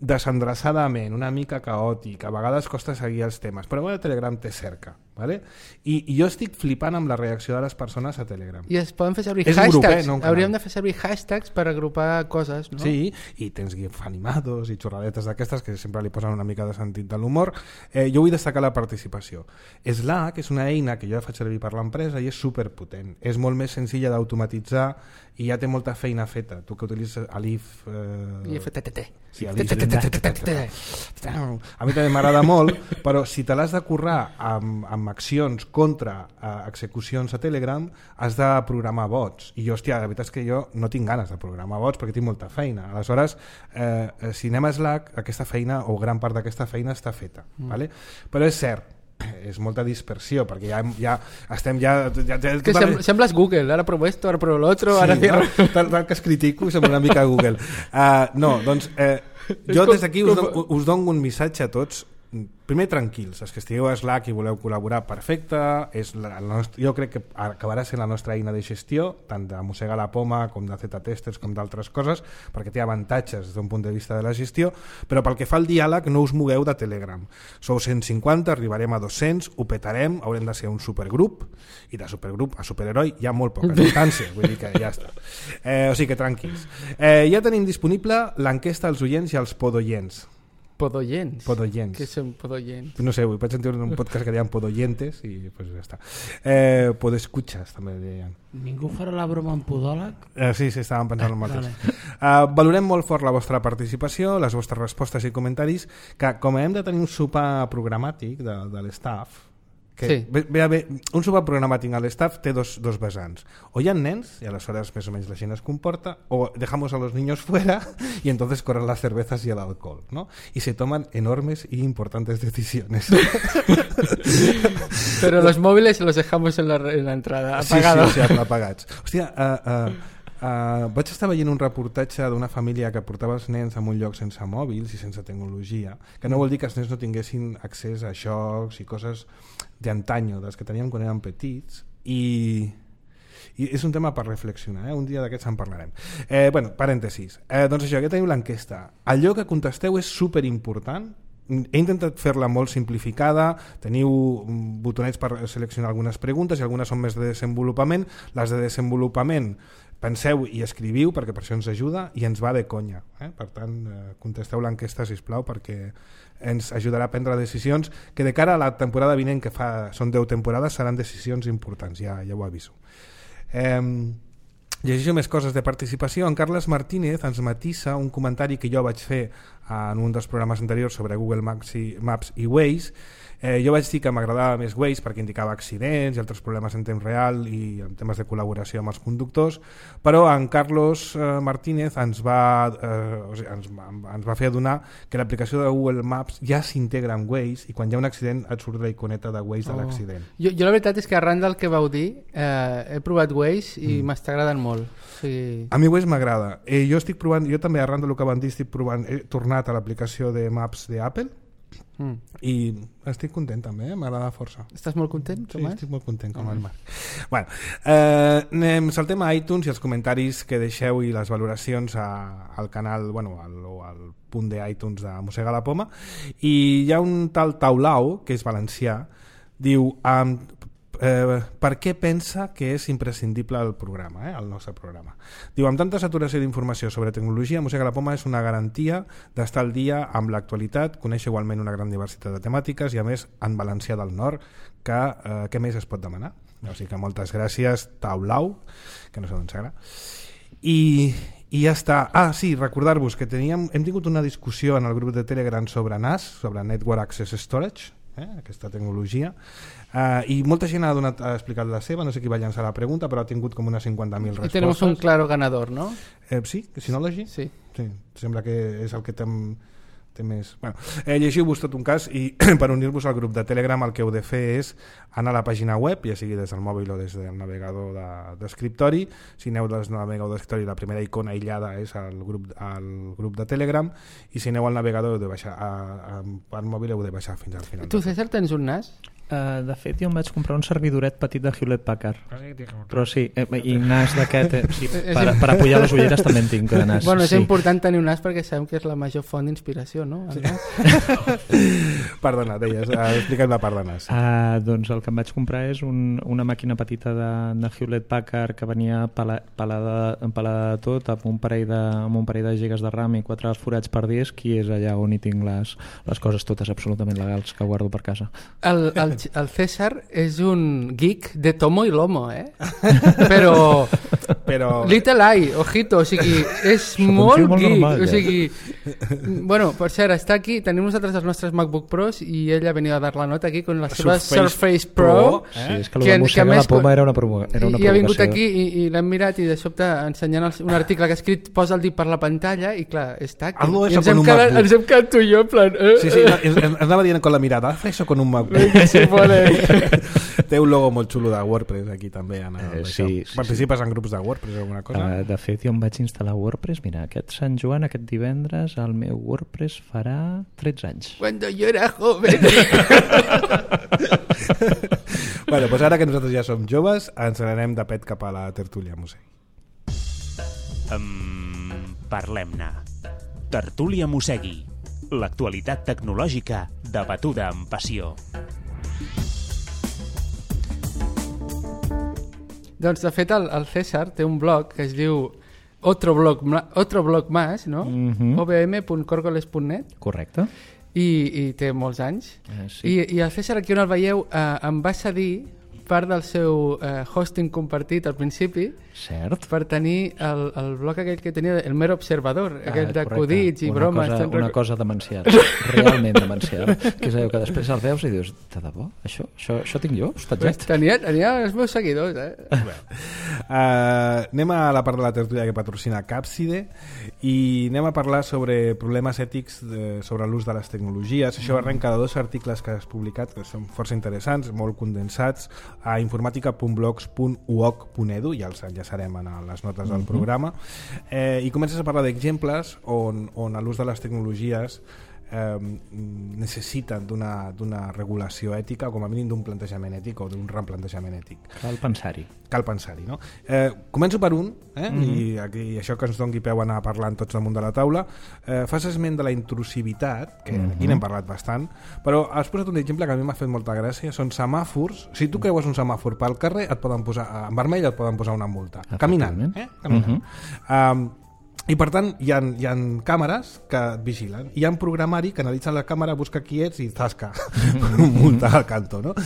desendreçadament, una mica caòtic, a vegades costa seguir els temes, però a Telegram té cerca, ¿vale? I jo estic flipant amb la reacció de les persones a Telegram. I es poden fer servir hashtags, hauríem de fer servir hashtags per agrupar coses, no? Sí, i tens gifs animados i xorradetes d'aquestes que sempre li posen una mica de sentit de l'humor. Jo vull destacar la participació. Slack és una eina que jo faig servir per l'empresa i és superpotent, és molt més senzilla d'automatitzar i ja té molta feina feta. Tu que utilitzes Alif... IFTTT. Sí, Alif. A mi també m'agrada molt, però si te l'has de currar amb accions contra execucions a Telegram, has de programar bots. I jo, la veritat és que jo no tinc ganes de programar bots perquè tinc molta feina. Aleshores, si anem a Slack, aquesta feina, o gran part d'aquesta feina, està feta. Vale? Però és cert, és molta dispersió, perquè ja estem que sembles Google, ara provo esto, ara provo l'altro, ara tal que es critico sembla una mica Google. No, doncs jo des d'aquí us dono un missatge a tots. Primer, tranquils, els que estigueu a Slack i voleu col·laborar, perfecte, jo crec que acabarà sent la nostra eina de gestió, tant de Mossega la Poma com de Z-testers com d'altres coses, perquè té avantatges des d'un punt de vista de la gestió, però pel que fa al diàleg no us mogueu de Telegram. Sou 150, arribarem a 200, ho petarem, haurem de ser un supergrup, i de supergrup a superheroi hi ha molt poca distància, vull dir que ja està. O sigui que tranquils. Ja tenim disponible l'enquesta als oients i als podoients. Podoyents. Què són podoyents? No sé, vaig sentir un podcast que deien podoyentes i pues ja està. Podescuchas també deien. Ningú farà la broma amb podòleg? Sí, estàvem pensant en el mateix. Valorem molt fort la vostra participació, les vostres respostes i comentaris, que com hem de tenir un sopar programàtic de l'staff, Que, un sopar programàtic a l'staff té dos vessants. O hi ha nens, y a las horas más o menos la gent es comporta, o dejamos a los niños fuera y entonces corren las cervezas y el alcohol, ¿no? Y se toman enormes y importantes decisiones. Pero los móviles los dejamos en la entrada, apagados. Sí, apagats. Hòstia, vaig estar veient un reportatge d'una família que portava els nens a un lloc sense mòbils i sense tecnologia, que no vol dir que els nens no tinguessin accés a jocs i coses d'antanyo, dels que teníem quan érem petits, i és un tema per reflexionar, un dia d'aquests en parlarem. Bueno, parèntesis. Doncs això, aquí teniu l'enquesta. Allò que contesteu és superimportant. He intentat fer-la molt simplificada, teniu botonets per seleccionar algunes preguntes i algunes són més de desenvolupament. Les de desenvolupament penseu i escriviu perquè per això ens ajuda i ens va de conya. Per tant, contesteu l'enquesta, sisplau, perquè ens ajudarà a prendre decisions que de cara a la temporada vinent, que són 10 temporades, seran decisions importants, ja ho aviso. Llegeixo més coses de participació. En Carles Martínez ens matissa un comentari que jo vaig fer en un dels programes anteriors sobre Google Maps i Waze. Jo vaig dir que m'agradava més Waze perquè indicava accidents i altres problemes en temps real i en temes de col·laboració amb els conductors, però en Carlos Martínez ens va fer adonar que l'aplicació de Google Maps ja s'integra en Waze i quan hi ha un accident et surt la iconeta de Waze de l'accident. Jo la veritat és que arran del que vau dir he provat Waze i m'està agradant molt. Sí. A mi Waze m'agrada. Jo també arran del que van dir he tornat a l'aplicació de Maps d'Apple i estic content també, m'agrada força. Estàs molt content, Tomàs? Sí, estic molt content com el Marc. Bueno, saltem a iTunes i els comentaris que deixeu i les valoracions al canal, al punt d'iTunes de Mossega la Poma, i hi ha un tal Taulau, que és valencià, diu per què pensa que és imprescindible el programa, el nostre programa. Diu, amb tanta saturació d'informació sobre tecnologia, Mossega la Poma és una garantia d'estar al dia amb l'actualitat, conèixer igualment una gran diversitat de temàtiques i a més en valencià del nord, que què més es pot demanar? O sigui que moltes gràcies, Taulau, que no sé d'on serà. I ja està. Sí, recordar-vos que hem tingut una discussió en el grup de Telegram sobre NAS, sobre Network Access Storage, aquesta tecnologia, i molta gent ha explicat la seva, no sé qui va llançar la pregunta, però ha tingut com unes 50.000 respostes. I tenemos un claro ganador, ¿no? Sí, Synology? Sí. Sembla que és el que té més... Bueno, llegiu-vos tot un cas i per unir-vos al grup de Telegram el que heu de fer és anar a la pàgina web, ja sigui des del mòbil o des del navegador d'escriptori. Si aneu des del navegador d'escriptori, la primera icona aïllada és el grup de Telegram, i si aneu al navegador heu de baixar, per mòbil heu de baixar fins al final. Tu, César, tens un NAS? De fet, jo em vaig comprar un servidoret petit de Hewlett Packard, però sí, i NAS d'aquest per apoyar les ulleres també en tinc de NAS. Bueno, és important tenir un NAS perquè sabem que és la major font d'inspiració, no? Sí. Perdona, deies, explica't la part de NAS. Doncs el que em vaig comprar és una màquina petita de Hewlett Packard que venia empalada de tot, amb un parell de gigas de RAM i 4 forats per disc, i és allà on hi tinc les coses totes absolutament legals que guardo per casa. El César és un geek de tomo i lomo, però little eye, ojito, o sigui, és molt geek, normal, o sigui, bueno, per cert, està aquí, tenim nosaltres els nostres MacBook Pros i ell ha venit a dar la nota aquí con la seva Surface Pro, sí, és que el de Mossega la Poma era una provocació. I ha vingut aquí i l'hem mirat i de sobte ensenyant un article que ha escrit, posa el dit per la pantalla i clar, està aquí, i ens hem quedat tu i jo en plan... Sí, anava dient con la mirada, haz eso con un MacBook. Té un logo molt xulo de WordPress aquí també. Sí. Participes en grups de WordPress o alguna cosa? De fet, jo em vaig instal·lar WordPress. Mira, aquest Sant Joan, aquest divendres, el meu WordPress farà 13 anys. Cuando yo era joven. Bueno, doncs ara que nosaltres ja som joves, ens n'anem de pet cap a la tertúlia, Mossèn. Parlem-ne. Tertúlia Mossegui. L'actualitat tecnològica debatuda amb passió. Doncs de fet el César té un blog que es diu Otro blog más, no? obm.corgoles.net. Correcte. I té molts anys. Sí. I el César, aquí on el veieu, em va cedir part del seu hosting compartit al principi. Cert. Per tenir el bloc aquell que tenia, el Mer Observador, aquell d'acudits i bromes. Una cosa demencial, realment demencial, que és allò que després el veus i dius, de debò? Això tinc jo? Hostatget? Tenia els meus seguidors, Anem a la part de la tertúlia que patrocina Capside i anem a parlar sobre problemes ètics sobre l'ús de les tecnologies. Això arrenca de 2 articles que has publicat que són força interessants, molt condensats a informatica.blogs.uoc.edu, ja els enllaçarem a les notes del programa, i comences a parlar d'exemples on l'ús de les tecnologies necessiten d'una regulació ètica o com a mínim d'un plantejament ètic o d'un replantejament ètic. Cal pensar-hi, no? Començo per un, i això que ens doni peu a anar parlant tots damunt de la taula. Fas esment de la intrusivitat, que aquí n'hem parlat bastant, però has posat un exemple que a mi m'ha fet molta gràcia, són semàfors. Si tu creues un semàfor pel carrer, et poden posar en vermell, et poden posar una multa. Caminant. I per tant hi ha càmeres que et vigilen, hi ha un programari que analitza la càmera, busca qui ets i tasca multa al cantó, no?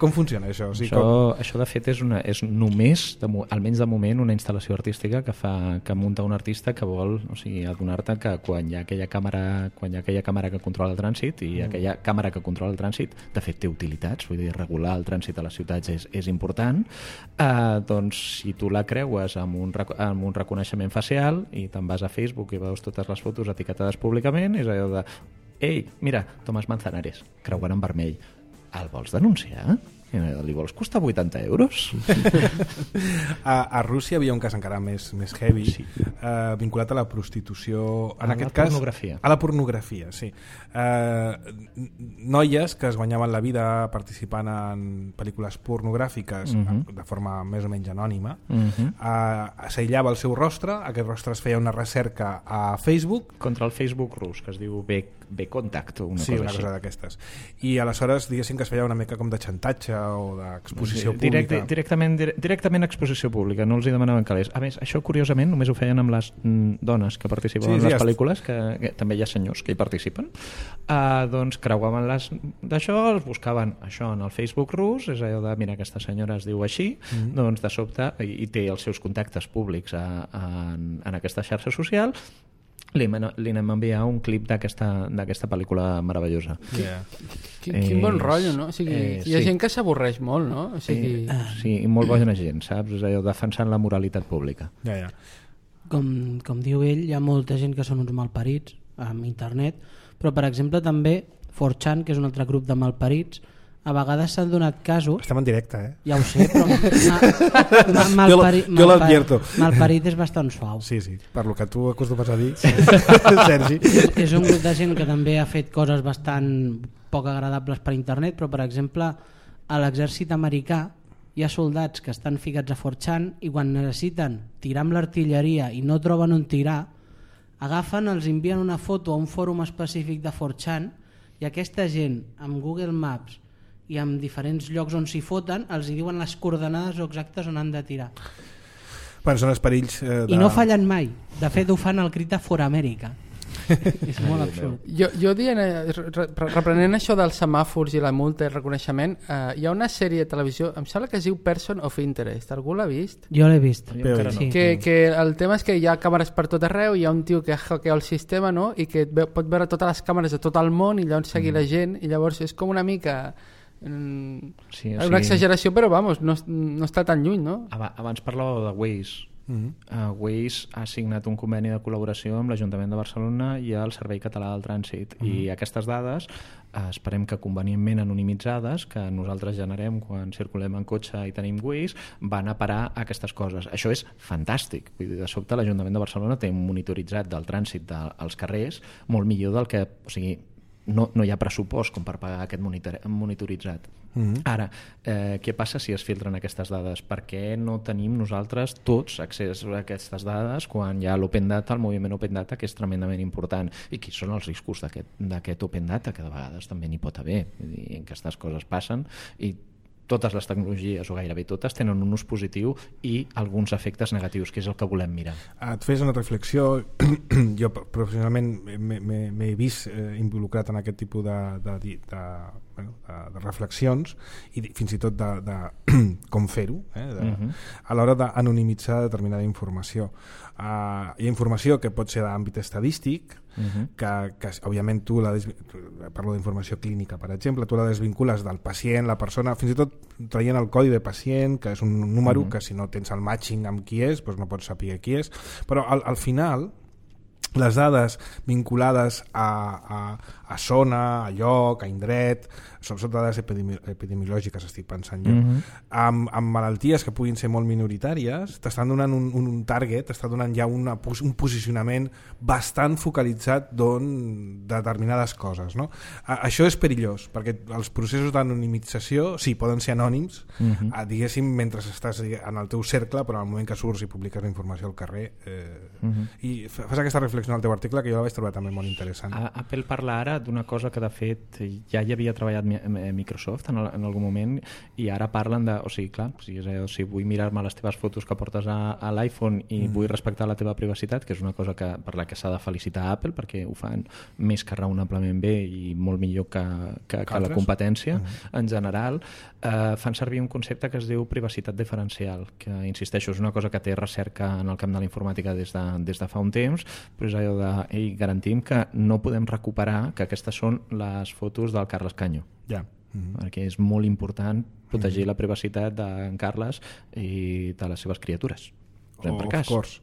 Com funciona això? O sigui, això de fet és només, almenys de moment, una instal·lació artística que munta un artista que vol, o sigui, adonar-te que quan hi ha aquella càmera que controla el trànsit, i aquella càmera que controla el trànsit de fet té utilitats, vull dir, regular el trànsit a les ciutats és important, doncs si tu la creues amb un reconeixement facial i te'n vas a Facebook i veus totes les fotos etiquetades públicament, és allò de ei, mira, Tomàs Manzanares creuant en vermell, el vols denunciar? Li vols costar 80 euros? A Rússia havia un cas encara més heavy, vinculat a la prostitució, en aquest cas a la pornografia, sí. Noies que es guanyaven la vida participant en pel·lícules pornogràfiques de forma més o menys anònima, s'aïllava el seu rostre, aquest rostre es feia una recerca a Facebook contra el Facebook rus, que es diu B-Contact o una cosa d'aquestes, i aleshores diguéssim que es feia una mica com de xantatge o d'exposició pública. Directament exposició pública, no els hi demanaven calés. A més, això curiosament només ho feien amb les dones que participen en les pel·lícules, que també hi ha senyors que hi participen. Doncs creuaven d'això, els buscaven això en el Facebook rus, és allò de, mira, aquesta senyora es diu així, doncs de sobte, i té els seus contactes públics en aquesta xarxa social, li anem a enviar un clip d'aquesta pel·lícula meravellosa. Quin bon rotllo, no? O sigui, hi ha gent que s'avorreix molt, no? O sigui... Sí, i molt bona gent, saps? És allò defensant la moralitat pública. Com diu ell, hi ha molta gent que són uns malparits amb internet, però per exemple també 4chan, que és un altre grup de malparits, a vegades s'han donat casos... Estem en directe, Ja ho sé, però... Malparit és bastant suau. Sí, per lo que tu acostumes a dir, Sergi. És un grup de gent que també ha fet coses bastant poc agradables per internet, però per exemple a l'exèrcit americà hi ha soldats que estan ficats a 4chan i quan necessiten tirar amb l'artilleria i no troben on tirar, agafen, els envien una foto a un fòrum específic de 4chan i aquesta gent amb Google Maps i en diferents llocs on s'hi foten els hi diuen les coordenades exactes on han de tirar. Bueno, són els perills I no fallen mai. De fet ho fan al crit de For America. És molt absurd. Jo dient, reprenent això dels semàfors i la multa i el reconeixement, hi ha una sèrie de televisió, em sembla que es diu Person of Interest. Algú l'ha vist? Jo l'he vist. Sí. Que el tema és que hi ha càmeres per tot arreu, hi ha un tio que hackea el sistema, no? I que pot veure totes les càmeres de tot el món i llavors seguir la gent, i llavors és com una mica... una exageració, però vamos, no està tan lluny, no? Abans parlàveu de Waze. Waze ha signat un conveni de col·laboració amb l'Ajuntament de Barcelona i el Servei Català del Trànsit, i aquestes dades esperem que convenientment anonimitzades que nosaltres generem quan circulem en cotxe i tenim Waze van a parar aquestes coses. Això és fantàstic. Vull dir, de sobte l'Ajuntament de Barcelona té un monitoritzat del trànsit als carrers molt millor del que... O sigui, no hi ha pressupost com per pagar aquest monitoritzat. Ara, què passa si es filtren aquestes dades? Per què no tenim nosaltres tots accés a aquestes dades quan hi ha l'Open Data, el moviment Open Data, que és tremendament important? I quins són els riscos d'aquest Open Data, que de vegades també n'hi pot haver? Aquestes coses passen i totes les tecnologies, o gairebé totes, tenen un ús positiu i alguns efectes negatius, que és el que volem mirar. Et fes una reflexió. Jo professionalment m'he vist involucrat en aquest tipus de de reflexions i fins i tot de com fer-ho, a l'hora d'anonimitzar determinada informació. Hi ha informació que pot ser d'àmbit estadístic, que òbviament tu parlo d'informació clínica, per exemple, tu la desvincules del pacient, la persona, fins i tot traient el codi de pacient, que és un número que si no tens el matching amb qui és, doncs no pots saber qui és, però al final les dades vinculades a zona, a lloc, a indret, sobretot dades epidemiològiques, estic pensant jo, amb malalties que puguin ser molt minoritàries, t'estan donant un target, t'està donant ja un posicionament bastant focalitzat de determinades coses, no? Això és perillós, perquè els processos d'anonimització, sí, poden ser anònims, diguéssim, mentre estàs en el teu cercle, però en el moment que surts i publiques la informació al carrer, i fas aquesta reflexió en el teu article que jo la vaig trobar també molt interessant. Apple parla ara d'una cosa que de fet ja hi havia treballat Microsoft en algun moment, i ara parlen de, o sigui, clar, si vull mirar-me les teves fotos que portes a l'iPhone i vull respectar la teva privacitat, que és una cosa per la que s'ha de felicitar a Apple, perquè ho fan més que raonablement bé i molt millor que la competència en general, fan servir un concepte que es diu privacitat diferencial, que insisteixo, és una cosa que té recerca en el camp de la informàtica des de fa un temps, però és allò de garantim que no podem recuperar que aquestes són les fotos del Carles Canyo. Perquè és molt important protegir la privacitat d'en Carles i de les seves criatures. Of course.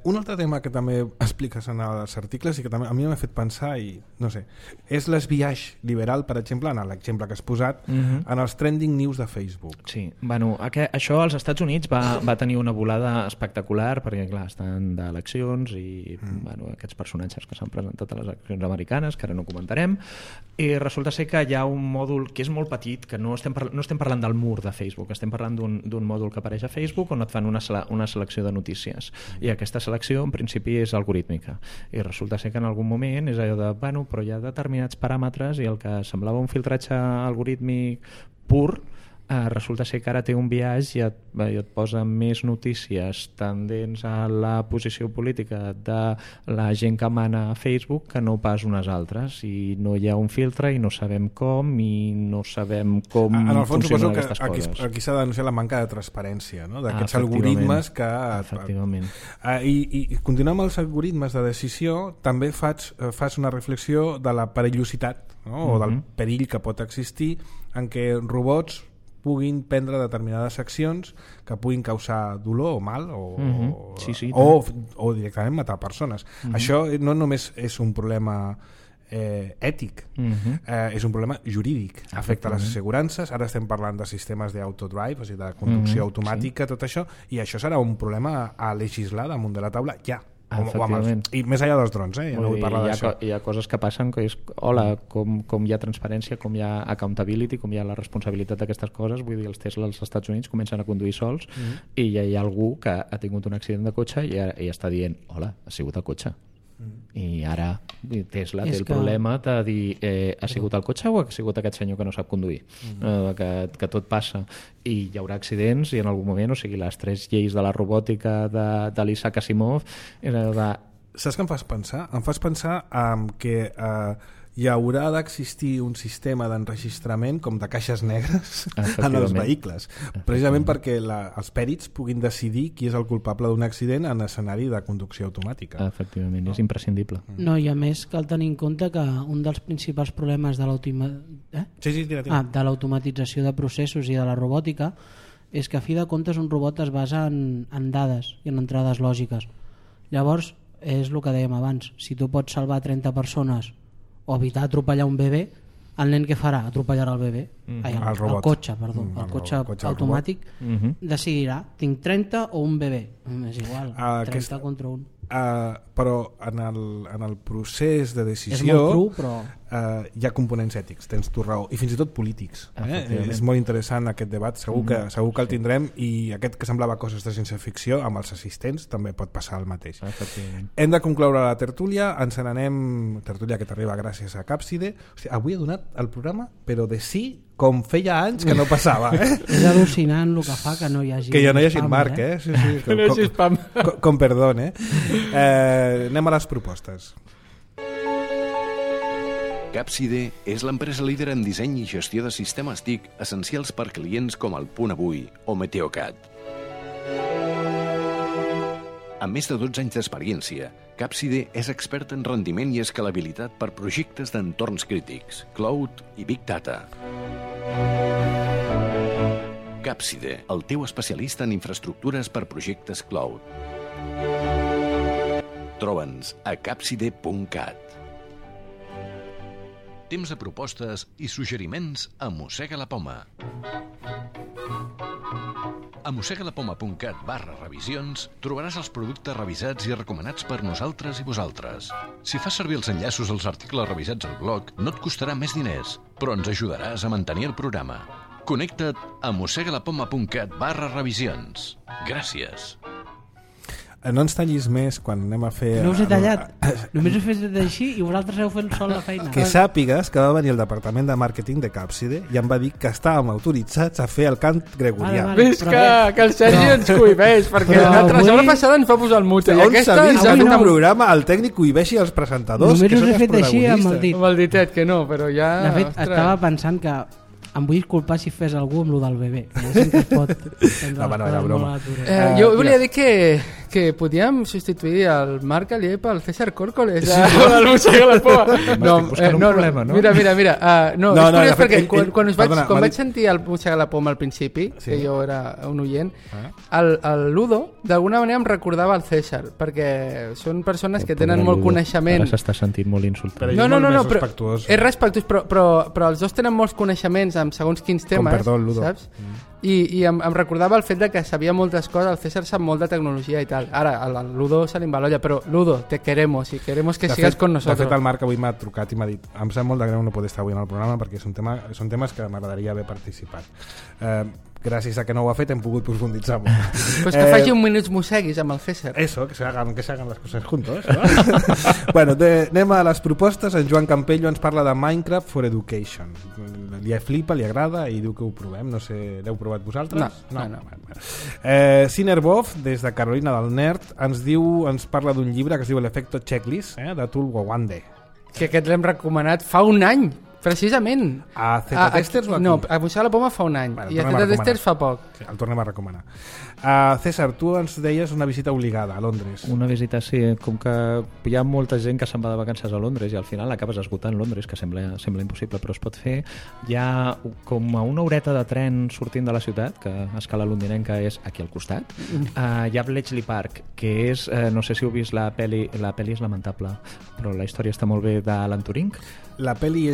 Un altre tema que també expliques en els articles i que també a mi m'ha fet pensar, i no sé, és l'esbiaix liberal, per exemple, en l'exemple que has posat, en els trending news de Facebook. Sí, bueno, això als Estats Units va tenir una volada espectacular, perquè clar, estan d'eleccions i aquests personatges que s'han presentat a les eleccions americanes, que ara no comentarem, i resulta ser que hi ha un mòdul que és molt petit, que no estem parlant del mur de Facebook, estem parlant d'un mòdul que apareix a Facebook on et fan una selecció de notícies, i aquesta selecció en principi és algorítmica, i resulta ser que en algun moment és allò de, però hi ha determinats paràmetres i el que semblava un filtratge algorítmic pur resulta ser que ara té un biaix i et posa més notícies tendents a la posició política de la gent que mana a Facebook que no pas unes altres, i no hi ha un filtre i no sabem com en el fons funcionen aquestes coses. Aquí s'ha de denunciar la manca de transparència, no? D'aquests algoritmes que... Efectivament. I continuant amb els algoritmes de decisió, també fas una reflexió de la perillositat, no? O del perill que pot existir en què robots puguin prendre determinades accions que puguin causar dolor o mal o directament matar persones. Això no només és un problema ètic, és un problema jurídic, afecta les assegurances. Ara estem parlant de sistemes d'autodrive, o sigui, de conducció automàtica, tot això, i això serà un problema a legislar damunt de la taula ja. I més enllà dels drons, ja no vull parlar d'això. Hi ha coses que passen que és, com hi ha transparència, com hi ha accountability, com hi ha la responsabilitat d'aquestes coses. Vull dir, els Tesla als Estats Units comencen a conduir sols i ja hi ha algú que ha tingut un accident de cotxe i està dient, hola, ha sigut el cotxe. I ara Tesla té el problema de dir ha sigut el cotxe o ha sigut aquest senyor que no sap conduir, que tot passa i hi haurà accidents, i en algun moment, o sigui, les 3 lleis de la robòtica de l'Isaac Asimov saps què em fas pensar? Em fas pensar que hi haurà d'existir un sistema d'enregistrament com de caixes negres en els vehicles, precisament perquè els pèrits puguin decidir qui és el culpable d'un accident en escenari de conducció automàtica. Efectivament, és imprescindible. No, i a més cal tenir en compte que un dels principals problemes de l'automatització de processos i de la robòtica és que a fi de comptes un robot es basa en dades i en entrades lògiques. Llavors, és el que dèiem abans, si tu pots salvar 30 persones o evitar atropellar un bebè, el nen què farà? Atropellarà el bebè? El cotxe, perdó. El cotxe automàtic decidirà, tinc 30 o un bebè? És igual, 30 contra un. Però en el procés de decisió és molt cru, però... hi ha components ètics, tens tu raó, i fins i tot polítics. És molt interessant aquest debat, segur que el tindrem, i aquest que semblava coses de ciència-ficció amb els assistents també pot passar el mateix. Hem de concloure la tertúlia, ens n'anem, tertúlia que t'arriba gràcies a Capside. Hòstia, avui he donat el programa però de sí com feia anys que no passava. És al·lucinant el que fa que no hi hagi que ja no hi hagi Marc, sí, que no hi hagi spam. Com perdó, anem a les propostes. Capside és l'empresa líder en disseny i gestió de sistemes TIC essencials per clients com el Punt Avui o Meteocat. Amb més de 12 anys d'experiència, Capside és expert en rendiment i escalabilitat per projectes d'entorns crítics, cloud i Big Data. Capside, el teu especialista en infraestructures per projectes cloud. Troba'ns a capside.cat. Temps de propostes i suggeriments a Mossega la Poma. A mossegalapoma.cat/revisions trobaràs els productes revisats i recomanats per nosaltres i vosaltres. Si fas servir els enllaços als articles revisats al blog, no et costarà més diners, però ens ajudaràs a mantenir el programa. Connecta't a mossegalapoma.cat/revisions. Gràcies. No ens tallis més quan anem a fer... No us he tallat, només he fet així i vosaltres heu fet sol la feina. Que sàpigues que va venir el departament de màrqueting de Capside i em va dir que estàvem autoritzats a fer el cant gregorià. Ves que el Sergi ens cohibeix, perquè la setmana passada ens va posar el mute. On s'ha vist en un programa el tècnic cohibeixi els presentadors, només que són us he els fet així amb el dit. Amb el ditet, que no, però ja... De fet, estava pensant que em vull disculpar si fes algú amb lo del bebè. Que es pot no, era broma. Jo volia dir que podíem substituir el Marc Alié pel César Córcoles del Mossega la Poma. Problema, no? Mira. No, és curiós perquè quan vaig sentir el Mossega la Poma al principi, que jo era un oient, el Ludo d'alguna manera em recordava el César, perquè són persones que tenen molt coneixement. Ara s'està sentint molt insultat. No, però és respectuós, però els dos tenen molts coneixements amb segons quins temes, saps? I em recordava el fet de que sabia moltes coses, el César sap molt de tecnologia i tal. Ara, al Ludo se li embalolla, però Ludo, te queremos y queremos que sigas con nosotros. De fet, el Marc avui m'ha trucat i m'ha dit em sap molt de greu no poder estar avui en el programa perquè són temes que m'agradaria haver participat. Gràcies a que no ho ha fet hem pogut profunditzar molt. Pues que faci un minuts mosseguis amb el César. Eso, que se hagan las cosas juntos, ¿no? Bueno, anem a les propostes. En Joan Campello ens parla de Minecraft for Education. Li flipa, li agrada i diu que ho provem. No sé, l'heu provat vosaltres? No. Cinerbov, des de Carolina del Nerd, ens parla d'un llibre que es diu l'efecto checklist, d'Atul Gawande. Que aquest l'hem recomanat fa un any. Precisament. A Z-Testers o aquí? No, a Mossega la Poma fa un any. Bueno, i a Z-Testers fa poc. Sí, el tornem a recomanar. César, tu ens deies una visita obligada a Londres. Una visita, sí. Com que hi ha molta gent que se'n va de vacances a Londres i al final acabes esgotant Londres, que sembla impossible, però es pot fer. Hi ha com a una horeta de tren sortint de la ciutat, que a escala londinenca és aquí al costat. Hi ha Bletchley Park, que és, no sé si heu vist la peli és lamentable, però la història està molt bé, d'Alan Turing. La peli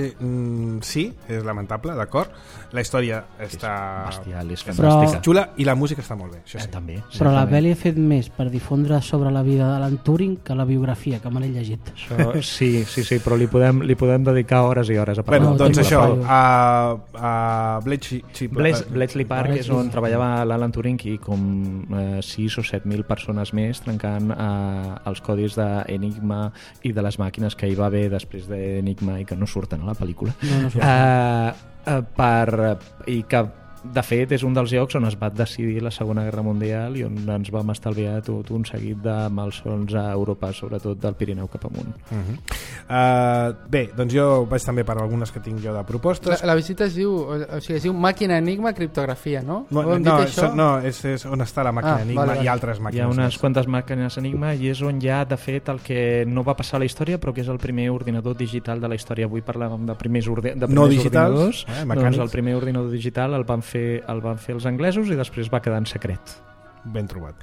sí, és lamentable, d'acord. La història està bestial, és fantàstica, xula i la música està molt bé, això sí. També, però la peli ha fet més per difondre sobre la vida d'Alan Turing que la biografia, que me l'he llegit. Això, sí, però li podem dedicar hores i hores a parlar. Bueno, doncs això, a Bletchley Park és on treballava l'Alan Turing i com 6 o 7.000 persones més trencant els codis d'Enigma i de les màquines que hi va haver després d'Enigma i que no surten a la pel·lícula. No surten. I que de fet és un dels llocs on es va decidir la Segona Guerra Mundial i on ens vam estalviar tot un seguit de malsons a Europa, sobretot del Pirineu cap amunt. Bé, doncs jo vaig també per algunes que tinc jo de propostes. La visita es diu màquina enigma criptografia, no? No, és on està la màquina enigma i altres màquines. Hi ha unes quantes màquines enigma i és on hi ha, de fet, el que no va passar a la història però que és el primer ordinador digital de la història. Avui parlàvem de primers ordinadors. Doncs el primer ordinador digital el van fer els anglesos i després va quedar en secret. Ben trobat.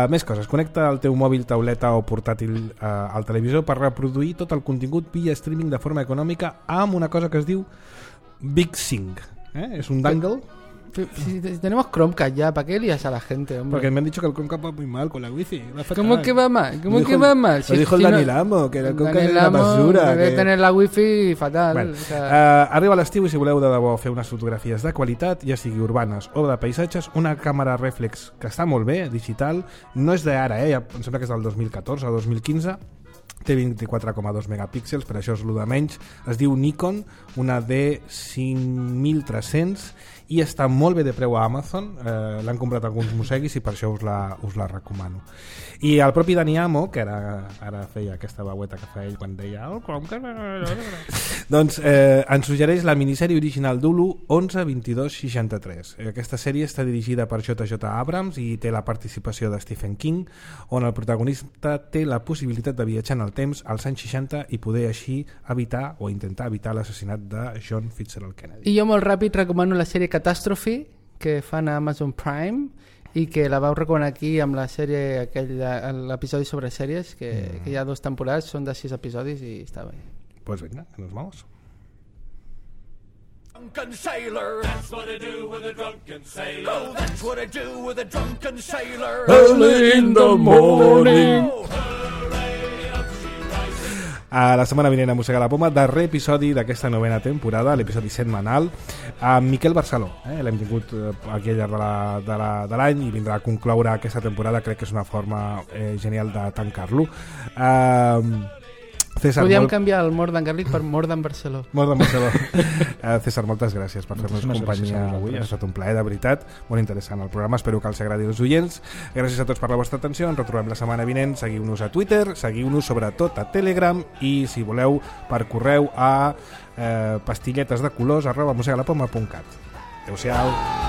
Més coses. Connecta el teu mòbil, tauleta o portàtil al televisor per reproduir tot el contingut via streaming de forma econòmica amb una cosa que es diu BigSync. És un dangle. Si tenemos Chromecast ya, ¿para qué lías a la gente, hombre? Porque me han dicho que el Chromecast va muy mal con la wifi. ¿Cómo que va mal? ¿Cómo que va mal? Lo dijo el Dani Lamo, que el Chromecast es una basura. Debe tener la wifi fatal. Bueno, arriba l'estiu i si voleu de debò fer unes fotografies de qualitat, ja sigui urbanes o de paisatges, una càmera reflex que està molt bé, digital, no és d'ara, em sembla que és del 2014 o 2015, té 24,2 megapíxels, per això és el de menys. Es diu Nikon, una D5300, i està molt bé de preu a Amazon. L'han comprat alguns museguis i per això us la recomano. I el propi Dani Amo, que ara feia aquesta veueta que fa ell quan deia doncs ens suggereix la minissèrie original d'Hulu 11-22-63. Aquesta sèrie està dirigida per J.J. Abrams i té la participació de Stephen King, on el protagonista té la possibilitat de viatjar en el temps als anys 60 i poder així evitar o intentar evitar l'assassinat de John Fitzgerald Kennedy. I jo molt ràpid recomano la sèrie Catastrophe, que fan a Amazon Prime i que la vau recomanar aquí amb la sèrie, l'episodi sobre sèries, que hi ha 2 temporades, són de 6 episodis i està bé. Pues venga, nos vamos. Drunken sailor, that's what I do with a drunken sailor. Oh, that's what I do with a drunken sailor. Early in the morning. La setmana vinent a Mossegar la Poma, darrer episodi d'aquesta 9ª temporada, l'episodi setmanal, amb Miquel Barceló. L'hem tingut aquí al llarg de l'any i vindrà a concloure aquesta temporada. Crec que és una forma genial de tancar-lo. César, podíem canviar el Mort d'en Garlic per Mort d'en Barceló. Mort d'en Barceló. César, moltes gràcies per fer-nos companyia avui. Ha estat un plaer, de veritat. Molt interessant el programa. Espero que els agradi als oients. Gràcies a tots per la vostra atenció. Ens retrobem la setmana vinent. Seguiu-nos a Twitter, seguiu-nos sobretot a Telegram i, si voleu, per correu a pastilletasdecolors@mosegalapoma.cat. Adéu-siau.